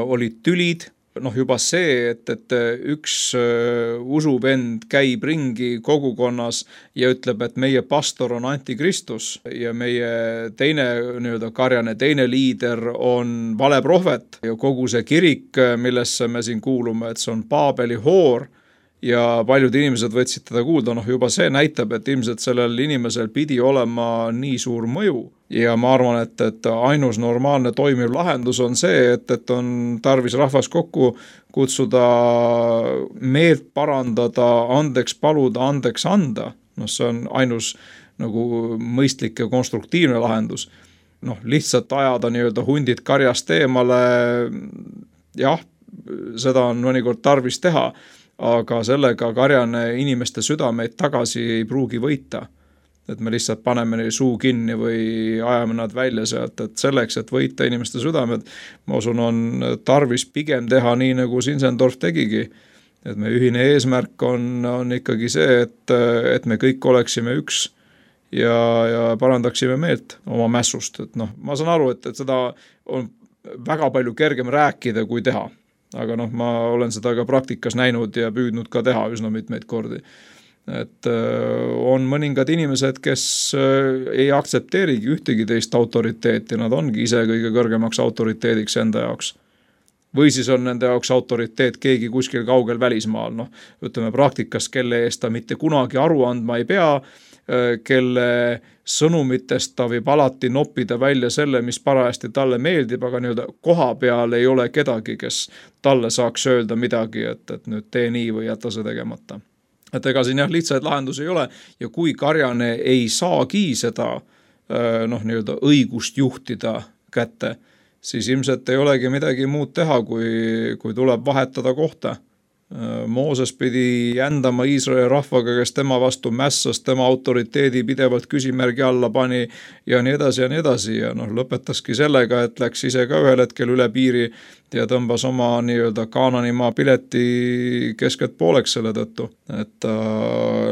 olid tülid, noh, juba see, et, et üks usuvend käib ringi kogukonnas ja ütleb, et meie pastor on antikristus ja meie teine nii-öelda karjane, teine liider on valeprohvet ja kogu see kirik, millesse me siin kuulume, et see on Paabeli hoor ja paljud inimesed võtsid teda kuulda, noh juba see näitab, et ilmselt sellel inimesel pidi olema nii suur mõju. Ja ma arvan, et, et ainus normaalne toimiv lahendus on see, et, et on tarvis rahvas kokku kutsuda, meelt parandada, andeks paluda, andeks anda. No see on ainus nagu mõistlik ja konstruktiivne lahendus. Noh, lihtsalt ajada nii-öelda hundid karjast eemale, jah, seda on mõnikord tarvis teha, aga sellega karjane inimeste südameid tagasi ei pruugi võita. Et me lihtsalt paneme neil suu kinni või ajame nad välja sealt, et selleks, et võita inimeste südamed, ma usun, on tarvis pigem teha nii, nagu Sinsendorf tegigi. Et me ühine eesmärk on, on ikkagi see, et, et me kõik oleksime üks ja, ja parandaksime meelt oma mässust. Et noh, ma saan aru, et, et seda on väga palju kergem rääkida kui teha. Aga noh, ma olen seda ka praktikas näinud ja püüdnud ka teha üsna mitmeid kordi. Et on mõningad inimesed, kes ei aktsepteerigi ühtegi teist autoriteeti, nad ongi ise kõige kõrgemaks autoriteediks enda jaoks. Või siis on nende jaoks autoriteet keegi kuskil kaugel välismaal, noh, ütleme praktikas, kelle eest ta mitte kunagi aru andma ei pea, kelle sõnumitest ta võib alati noppida välja selle, mis parajasti talle meeldib, aga nii-öelda koha peal ei ole kedagi, kes talle saaks öelda midagi, et, et nüüd tee nii või jäta see tegemata. Et ega siin jah, lihtsaid lahendusi ei ole ja kui karjane ei saagi seda noh, nii-öelda õigust juhtida kätte, siis ilmselt ei olegi midagi muud teha, kui, kui tuleb vahetada kohta. Mooses pidi jändama Iisraeli rahvaga, kes tema vastu mässas, tema autoriteedi pidevalt küsimärgi alla pani ja nii edasi ja nii edasi ja noh, lõpetaski sellega, et läks ise ka ühel hetkel üle piiri ja tõmbas oma nii-öelda Kaananimaa pileti keskelt pooleks selle tõttu, et ta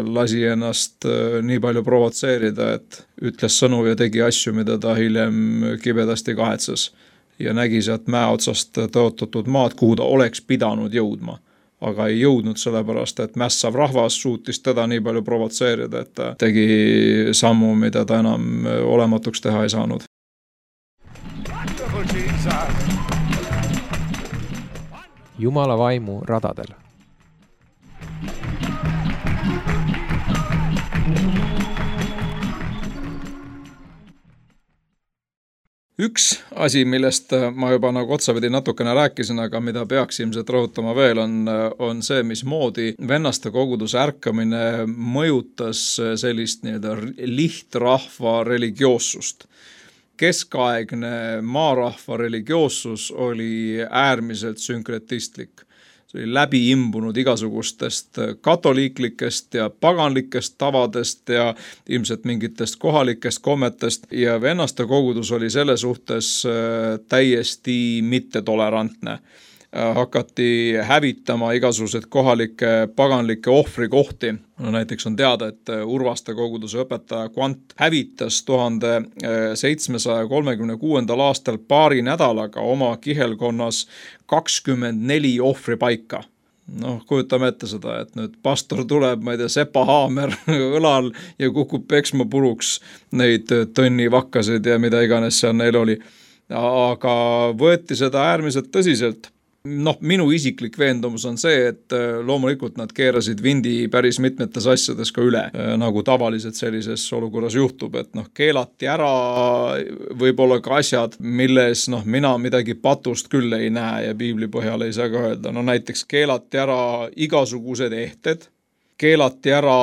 lasi ennast nii palju provotseerida, et ütles sõnu ja tegi asju, mida ta hiljem kibedasti kahetses ja nägi sealt mäe otsast tõotatud maad, kuhu ta oleks pidanud jõudma. Aga ei jõudnud sellepärast, et mässav rahvas suutis teda nii palju provotseerida, et ta tegi sammu, mida ta enam olematuks teha ei saanud. Jumala vaimu radadel. Üks asi, millest ma juba nagu otsapidi natukene rääkisin, aga mida peaks ilmselt rõhutama veel, on, on see, mismoodi vennaste koguduse ärkamine mõjutas sellist nii-öelda lihtrahva religioossust. Keskaegne maarahva religioossus oli äärmiselt sünkretistlik. See oli läbi imbunud igasugustest katoliiklikest ja paganlikest tavadest ja ilmselt mingitest kohalikest kommetest ja vennaste kogudus oli selle suhtes täiesti mittetolerantne. Hakati hävitama igasugused kohalikke paganlikke ohvrikohti. No, näiteks on teada, et Urvaste koguduse õpetaja Kvant hävitas tuhande seitsmesaja kolmekümne kuuendal aastal paari nädalaga oma kihelkonnas kakskümmend neli ohvripaika. Noh, kujutame ette seda, et nüüd pastor tuleb, ma ei tea, Sepa Haamer õlal ja kukub peksma puruks neid tõnnivakkasid ja mida iganes seal neil oli. Aga võeti seda äärmiselt tõsiselt. Noh, minu isiklik veendumus on see, et loomulikult nad keerasid vindi päris mitmetes asjades ka üle, nagu tavaliselt sellises olukorras juhtub, et noh, keelati ära võib-olla ka asjad, milles noh, mina midagi patust küll ei näe ja piibli põhjal ei saa ka öelda. No näiteks keelati ära igasugused ehted, keelati ära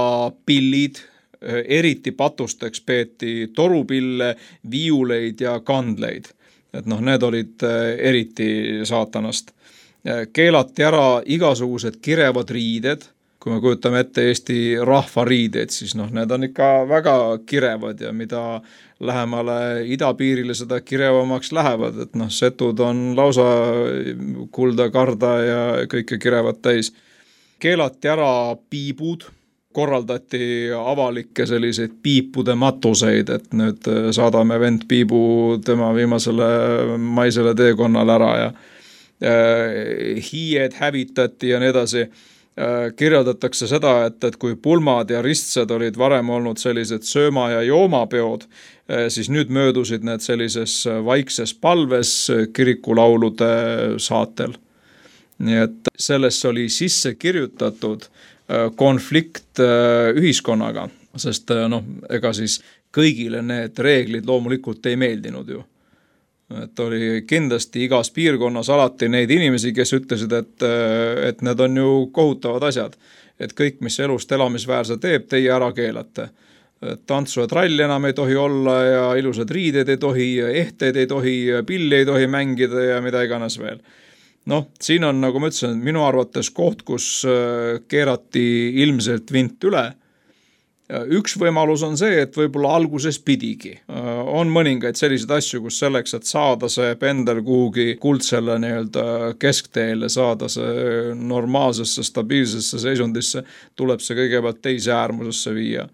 pillid, eriti patusteks peeti torupille, viiuleid ja kandleid. Et noh, need olid eriti saatanast. Keelati ära igasugused kirevad riided, kui me kujutame ette Eesti rahvariideid, siis noh, need on ikka väga kirevad ja mida lähemale idapiirile seda kirevamaks lähevad, et noh, setud on lausa kulda, karda ja kõike kirevad täis. Keelati ära piibud, korraldati avalikke selliseid piipude matuseid, et nüüd saadame vend piibu tema viimasele maisele teekonnale ära ja hiied hävitati ja nii edasi. Kirjeldatakse seda, et, et kui pulmad ja ristsed olid varem olnud sellised sööma- ja joomapeod, siis nüüd möödusid need sellises vaikses palves kirikulaulude saatel. Nii et sellesse oli sisse kirjutatud konflikt ühiskonnaga, sest noh, ega siis kõigile need reeglid loomulikult ei meeldinud ju. Et oli kindlasti igas piirkonnas alati neid inimesi, kes ütlesid, et, et need on ju kohutavad asjad. Et kõik, mis elust elamisväärse teeb, teie ära keelate. Tantsu ja tralli enam ei tohi olla ja ilusad riided ei tohi, ehteid ei tohi, pilli ei tohi mängida ja mida iganes veel. Noh, siin on, nagu ma ütlesin, minu arvates koht, kus keerati ilmselt vint üle. Üks võimalus on see, et võib-olla alguses pidigi. On mõningaid selliseid asju, kus selleks, et saada see pendel kuhugi kuldselle nii-öelda keskteele, saada see normaalsesse, stabiilsesse seisundisse, tuleb see kõigepealt teise äärmusesse viia.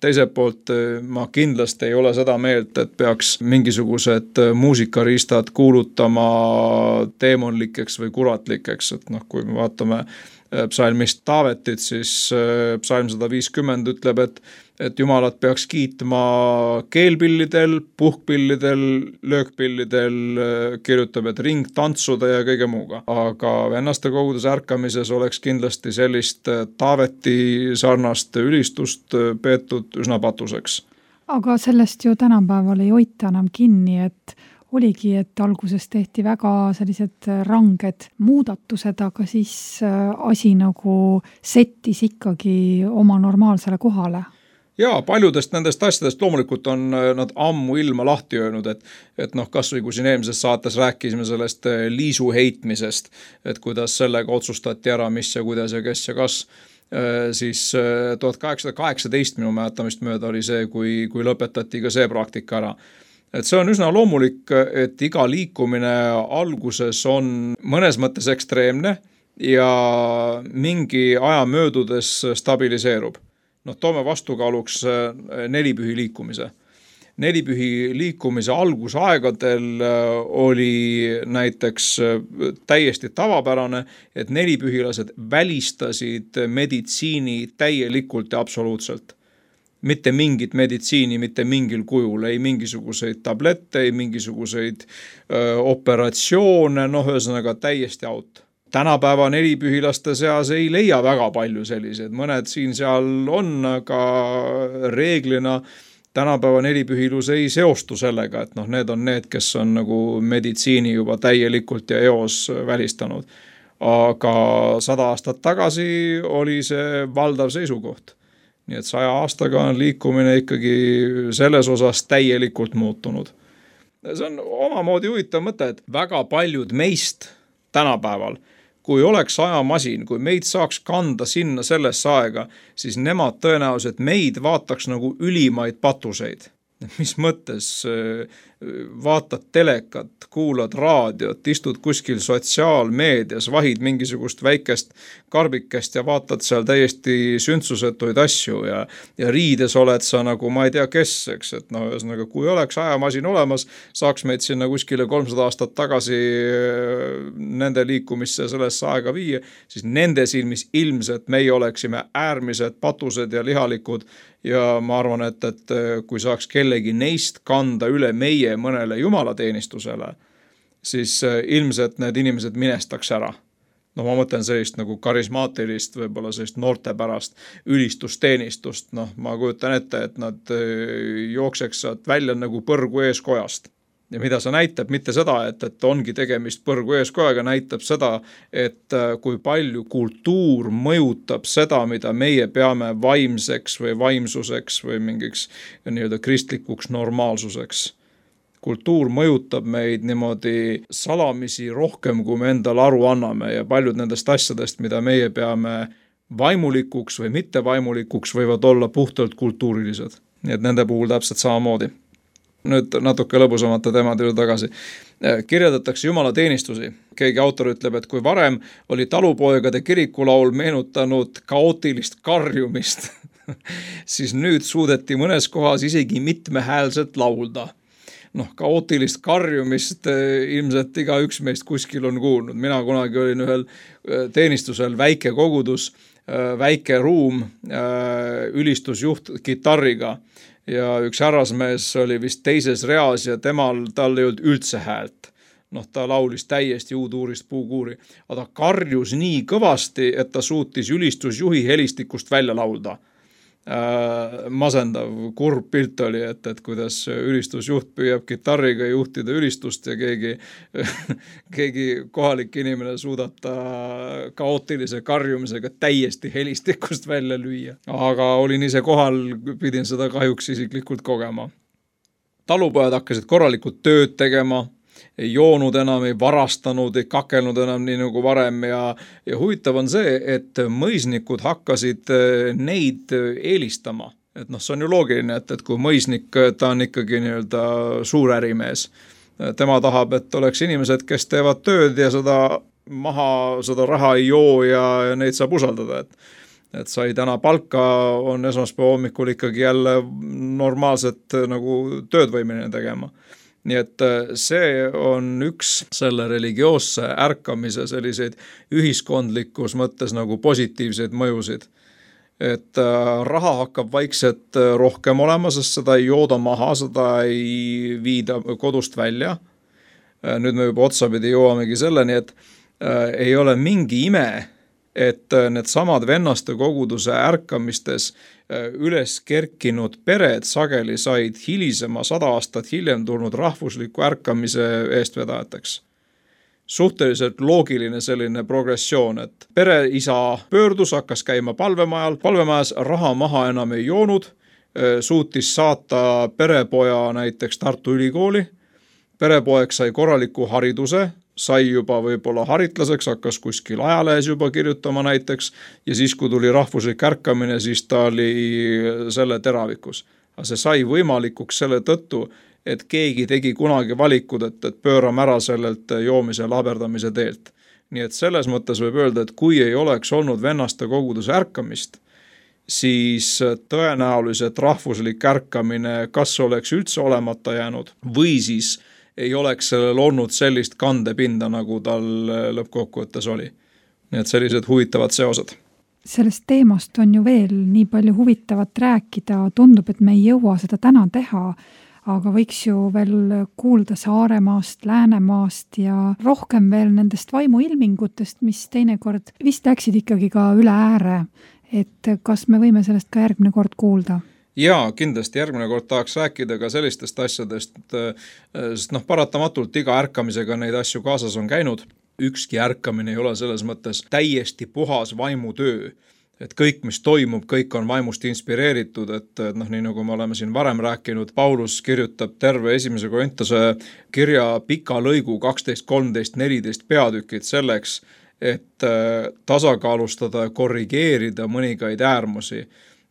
Teiselt poolt ma kindlasti ei ole seda meelt, et peaks mingisugused muusikariistad kuulutama teemonlikeks või kuratlikeks, et noh, kui me vaatame psalmist Taavetit, siis psalm sada viiskümmend ütleb, et, et jumalat peaks kiitma keelpillidel, puhkpillidel, löökpillidel, kirjutab, et ringtantsude ja kõige muuga. Aga vennaste koguduse ärkamises oleks kindlasti sellist Taaveti sarnast ülistust peetud üsna patuseks. Aga sellest ju tänapäeval ei hoita enam kinni, et oligi, et alguses tehti väga sellised ranged muudatused, aga siis asi nagu settis ikkagi oma normaalsele kohale. Jaa, paljudest nendest asjadest loomulikult on nad ammu ilma lahti öelnud, et, et noh, kas või kui siin eelmises saates rääkisime sellest liisu heitmisest, et kuidas sellega otsustati ära, mis ja kuidas ja kes ja kas, siis tuhat kaheksasada kaheksateist minu mäletamist mööda oli see, kui, kui lõpetati ka see praktika ära. Et see on üsna loomulik, et iga liikumine alguses on mõnes mõttes ekstreemne ja mingi aja möödudes stabiliseerub. Noh, toome vastukaaluks nelipühi liikumise. Nelipühi liikumise algusaegadel oli näiteks täiesti tavapärane, et nelipühilased välistasid meditsiini täielikult ja absoluutselt. Mitte mingit meditsiini, mitte mingil kujul, ei mingisuguseid tablette, ei mingisuguseid öö, operatsioone, noh, ühesõnaga täiesti out. Tänapäeva nelipühilaste seas ei leia väga palju selliseid, mõned siin seal on, aga reeglina tänapäeva nelipühilus ei seostu sellega, et noh, need on need, kes on nagu meditsiini juba täielikult ja eos välistanud. Aga sada aastat tagasi oli see valdav seisukoht. Nii et saja aastaga on liikumine ikkagi selles osas täielikult muutunud. See on omamoodi huvitav mõte, et väga paljud meist tänapäeval, kui oleks ajamasin, kui meid saaks kanda sinna sellesse aega, siis nemad tõenäoliselt meid vaataks nagu ülimaid patuseid. Mis mõttes vaatad telekat, kuulad raadiot, istud kuskil sotsiaalmeedias, vahid mingisugust väikest karbikest ja vaatad seal täiesti sündsusetuid asju ja, ja riides oled sa nagu ma ei tea kes, eks, et no ühesõnaga, kui oleks ajamasin olemas, saaks meid sinna kuskile kolmsada aastat tagasi nende liikumisse sellesse aega viia, siis nende silmis ilmselt meie oleksime äärmised patused ja lihalikud ja ma arvan, et, et kui saaks kellegi neist kanda üle meie mõnele jumalateenistusele, siis ilmselt need inimesed minestaks ära. No ma mõtlen sellist nagu karismaatilist, võib-olla sellist noortepärast ülistusteenistust. Noh, ma kujutan ette, et nad jookseks välja nagu põrgu eeskojast. Ja mida see näitab, mitte seda, et, et ongi tegemist põrgu eeskojaga, näitab seda, et kui palju kultuur mõjutab seda, mida meie peame vaimseks või vaimsuseks või mingiks nii-öelda kristlikuks normaalsuseks. Kultuur mõjutab meid niimoodi salamisi rohkem, kui me endale aru anname ja paljud nendest asjadest, mida meie peame vaimulikuks või mitte vaimulikuks, võivad olla puhtalt kultuurilised. Nii et nende puhul täpselt samamoodi. Nüüd natuke lõbusamate teemade juurde tagasi. Kirjeldatakse jumalateenistusi. Keegi autor ütleb, et kui varem oli talupoegade kirikulaul meenutanud kaootilist karjumist, siis nüüd suudeti mõnes kohas isegi mitmehäälselt laulda. noh, kaootilist karjumist ilmselt igaüks meist kuskil on kuulnud. Mina kunagi olin ühel teenistusel väike kogudus, väike ruum, ülistusjuht kitarriga ja üks härrasmees oli vist teises reas ja temal, tal ei olnud üldse häält. Noh, ta laulis täiesti uuduurist puukuuri, aga ta karjus nii kõvasti, et ta suutis ülistusjuhi helistikust välja laulda. Äh, masendav, kurb pilt oli, et, et kuidas ülistusjuht püüab kitarriga juhtida ülistust ja keegi, keegi kohalik inimene suudab ta kaootilise karjumisega täiesti helistikust välja lüüa. Aga olin ise kohal, pidin seda kahjuks isiklikult kogema. Talupojad hakkasid korralikult tööd tegema, ei joonud enam, ei varastanud, ei kakelnud enam nii nagu varem ja, ja huvitav on see, et mõisnikud hakkasid neid eelistama. Et noh, see on ju loogiline, et, et kui mõisnik, ta on ikkagi nii-öelda suur ärimees. Tema tahab, et oleks inimesed, kes teevad tööd ja seda maha, seda raha ei joo ja, ja neid saab usaldada, et et sai täna palka, on esmaspäeva hommikul ikkagi jälle normaalset nagu töödvõimeline tegema. Nii et see on üks selle religioosse ärkamise selliseid ühiskondlikus mõttes nagu positiivseid mõjusid. Et raha hakkab vaikselt rohkem olema, sest seda ei jooda maha, seda ei viida kodust välja. Nüüd me juba otsapidi jõuamegi selleni, et ei ole mingi ime, et need samad vennaste koguduse ärkamistes üles kerkinud pered sageli said hilisema sada aastat hiljem tulnud rahvusliku ärkamise eestvedajateks. Suhteliselt loogiline selline progressioon, et pereisa pöördus, hakkas käima palvemajal, palvemajas raha maha enam ei joonud, suutis saata perepoja näiteks Tartu Ülikooli, perepoeg sai korraliku hariduse, sai juba võib-olla haritlaseks, hakkas kuskil ajalehes juba kirjutama näiteks ja siis, kui tuli rahvuslik ärkamine, siis ta oli selle teravikus. Aga see sai võimalikuks selle tõttu, et keegi tegi kunagi valikud, et, et pöörame ära sellelt joomise laberdamise teelt. Nii et selles mõttes võib öelda, et kui ei oleks olnud vennaste koguduse ärkamist, siis tõenäoliselt rahvuslik ärkamine kas oleks üldse olemata jäänud või siis ei oleks sellel olnud sellist kandepinda, nagu tal lõppkokkuvõttes oli. Nii et sellised huvitavad seosed. Sellest teemast on ju veel nii palju huvitavat rääkida, tundub, et me ei jõua seda täna teha, aga võiks ju veel kuulda Saaremaast, Läänemaast ja rohkem veel nendest vaimuilmingutest, mis teinekord vist läksid ikkagi ka üle ääre, et kas me võime sellest ka järgmine kord kuulda? Jaa, kindlasti järgmine kord tahaks rääkida ka sellistest asjadest, sest noh, paratamatult iga ärkamisega neid asju kaasas on käinud. Ükski ärkamine ei ole selles mõttes täiesti puhas vaimutöö. Et kõik, mis toimub, kõik on vaimust inspireeritud, et noh, nii nagu me oleme siin varem rääkinud, Paulus kirjutab terve esimese Korintuse kirja pika lõigu kaksteist, kolmteist, neliteist peatükid selleks, et tasakaalustada ja korrigeerida mõningaid äärmusi.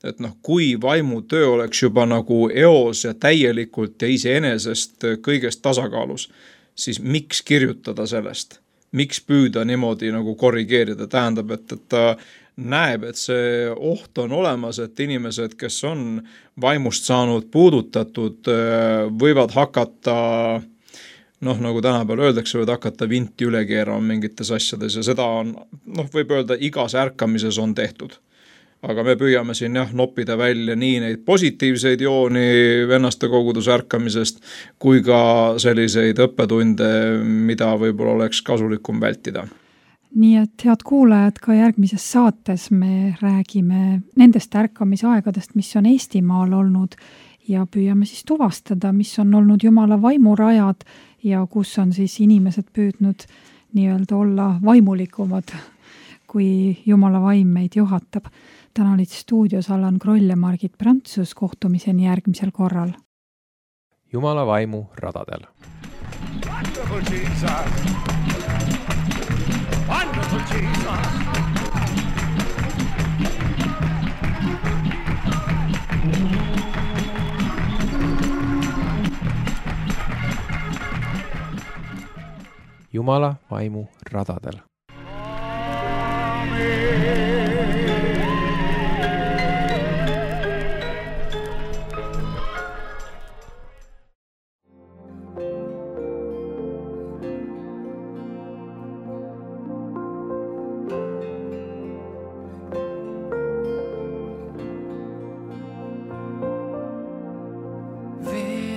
Et noh, kui vaimutöö oleks juba nagu eos ja täielikult ja iseenesest kõigest tasakaalus, siis miks kirjutada sellest? Miks püüda niimoodi nagu korrigeerida? Tähendab, et, et ta näeb, et see oht on olemas, et inimesed, kes on vaimust saanud puudutatud, võivad hakata, noh, nagu tänapäeval öeldakse, võivad hakata vinti üle keerama mingites asjades ja seda on, noh, võib öelda, igas ärkamises on tehtud. Aga me püüame siin jah, noppida välja nii neid positiivseid jooni vennaste koguduse ärkamisest, kui ka selliseid õppetunde, mida võib-olla oleks kasulikum vältida. Nii et head kuulajad, ka järgmises saates me räägime nendest ärkamisaegadest, mis on Eestimaal olnud ja püüame siis tuvastada, mis on olnud Jumala vaimurajad ja kus on siis inimesed püüdnud nii-öelda olla vaimulikumad, kui Jumala vaim meid juhatab. Täna olid stuudios Allan Kroll ja Margit Prantsus, kohtumiseni järgmisel korral. Jumala vaimu radadel. Wonderful Jesus. Wonderful Jesus. Jumala vaimu radadel.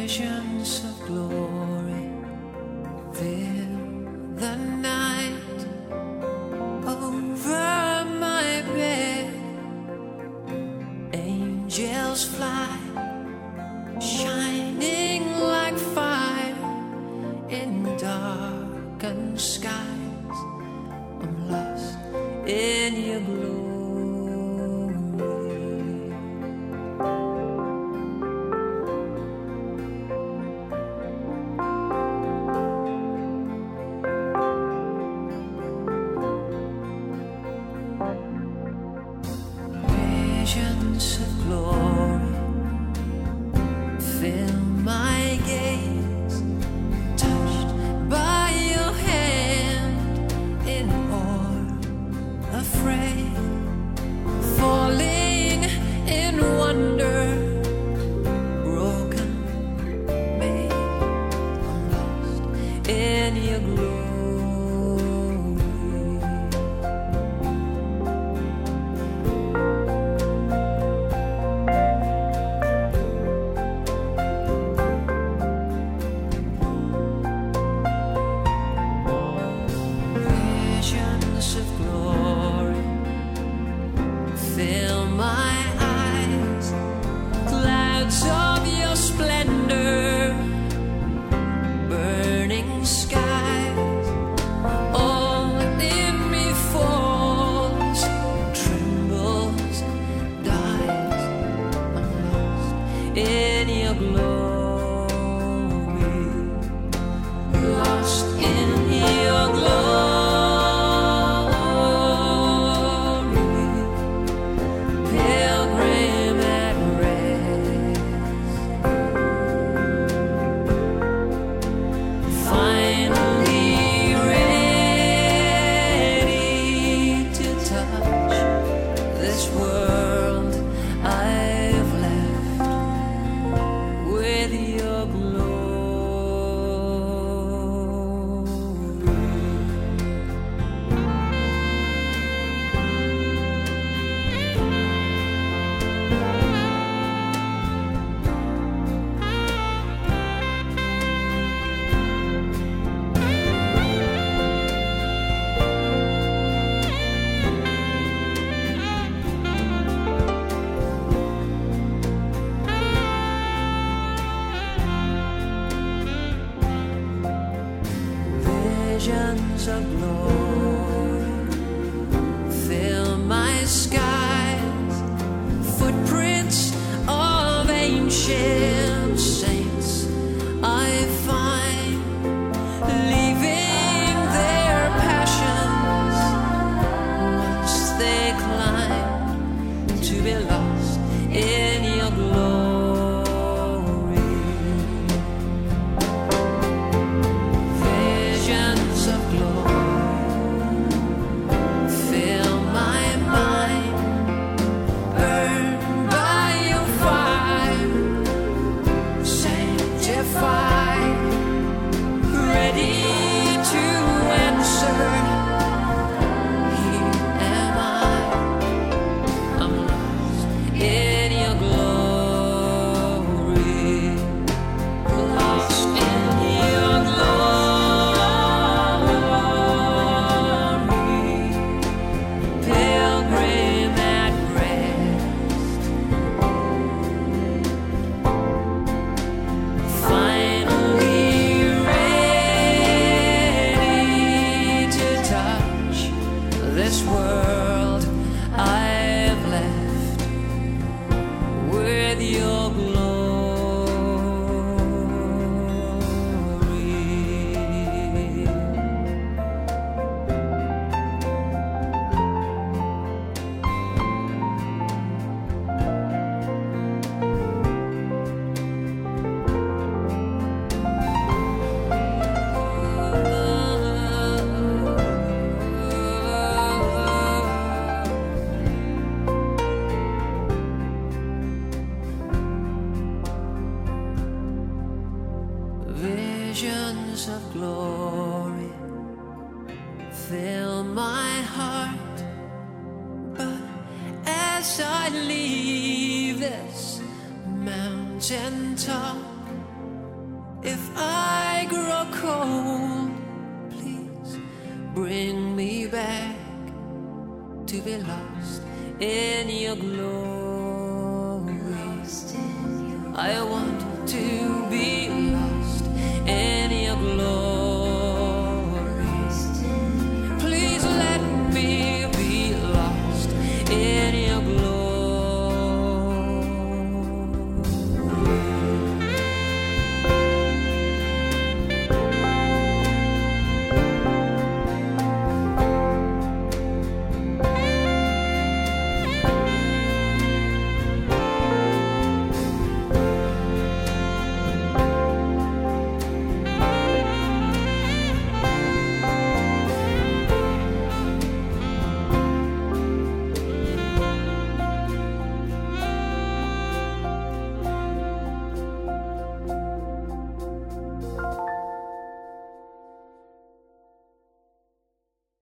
Visions of glory fill the night over my bed. Angels fly, shining like fire in darkened skies. I'm lost in your glory. Visions of glory fill my gaze, touched by your hand in awe, afraid, falling in wonder, broken, made, I'm lost in your glory. Visions of glory fill my eyes, clouds of your splendor, burning skies, all in me falls, trembles, dies. I'm lost in your glory, lost in your glory. Pilgrim at rest, finally ready to touch this world I've left with your glory. Visions of glory fill my skies, footprints of ancient saints I find, leaving their passions once they climb to be lost in your glory. Visions of glory fill my mind, burned by your fire, sanctified, ready to answer. Here am I, I'm lost in your glory, lost in your glory. Pilgrim at rest, finally ready to touch this world I've left with your glory. Visions of glory fill my heart, but as I leave this mountain top, If I grow cold, please bring me back to be lost in your glory. I want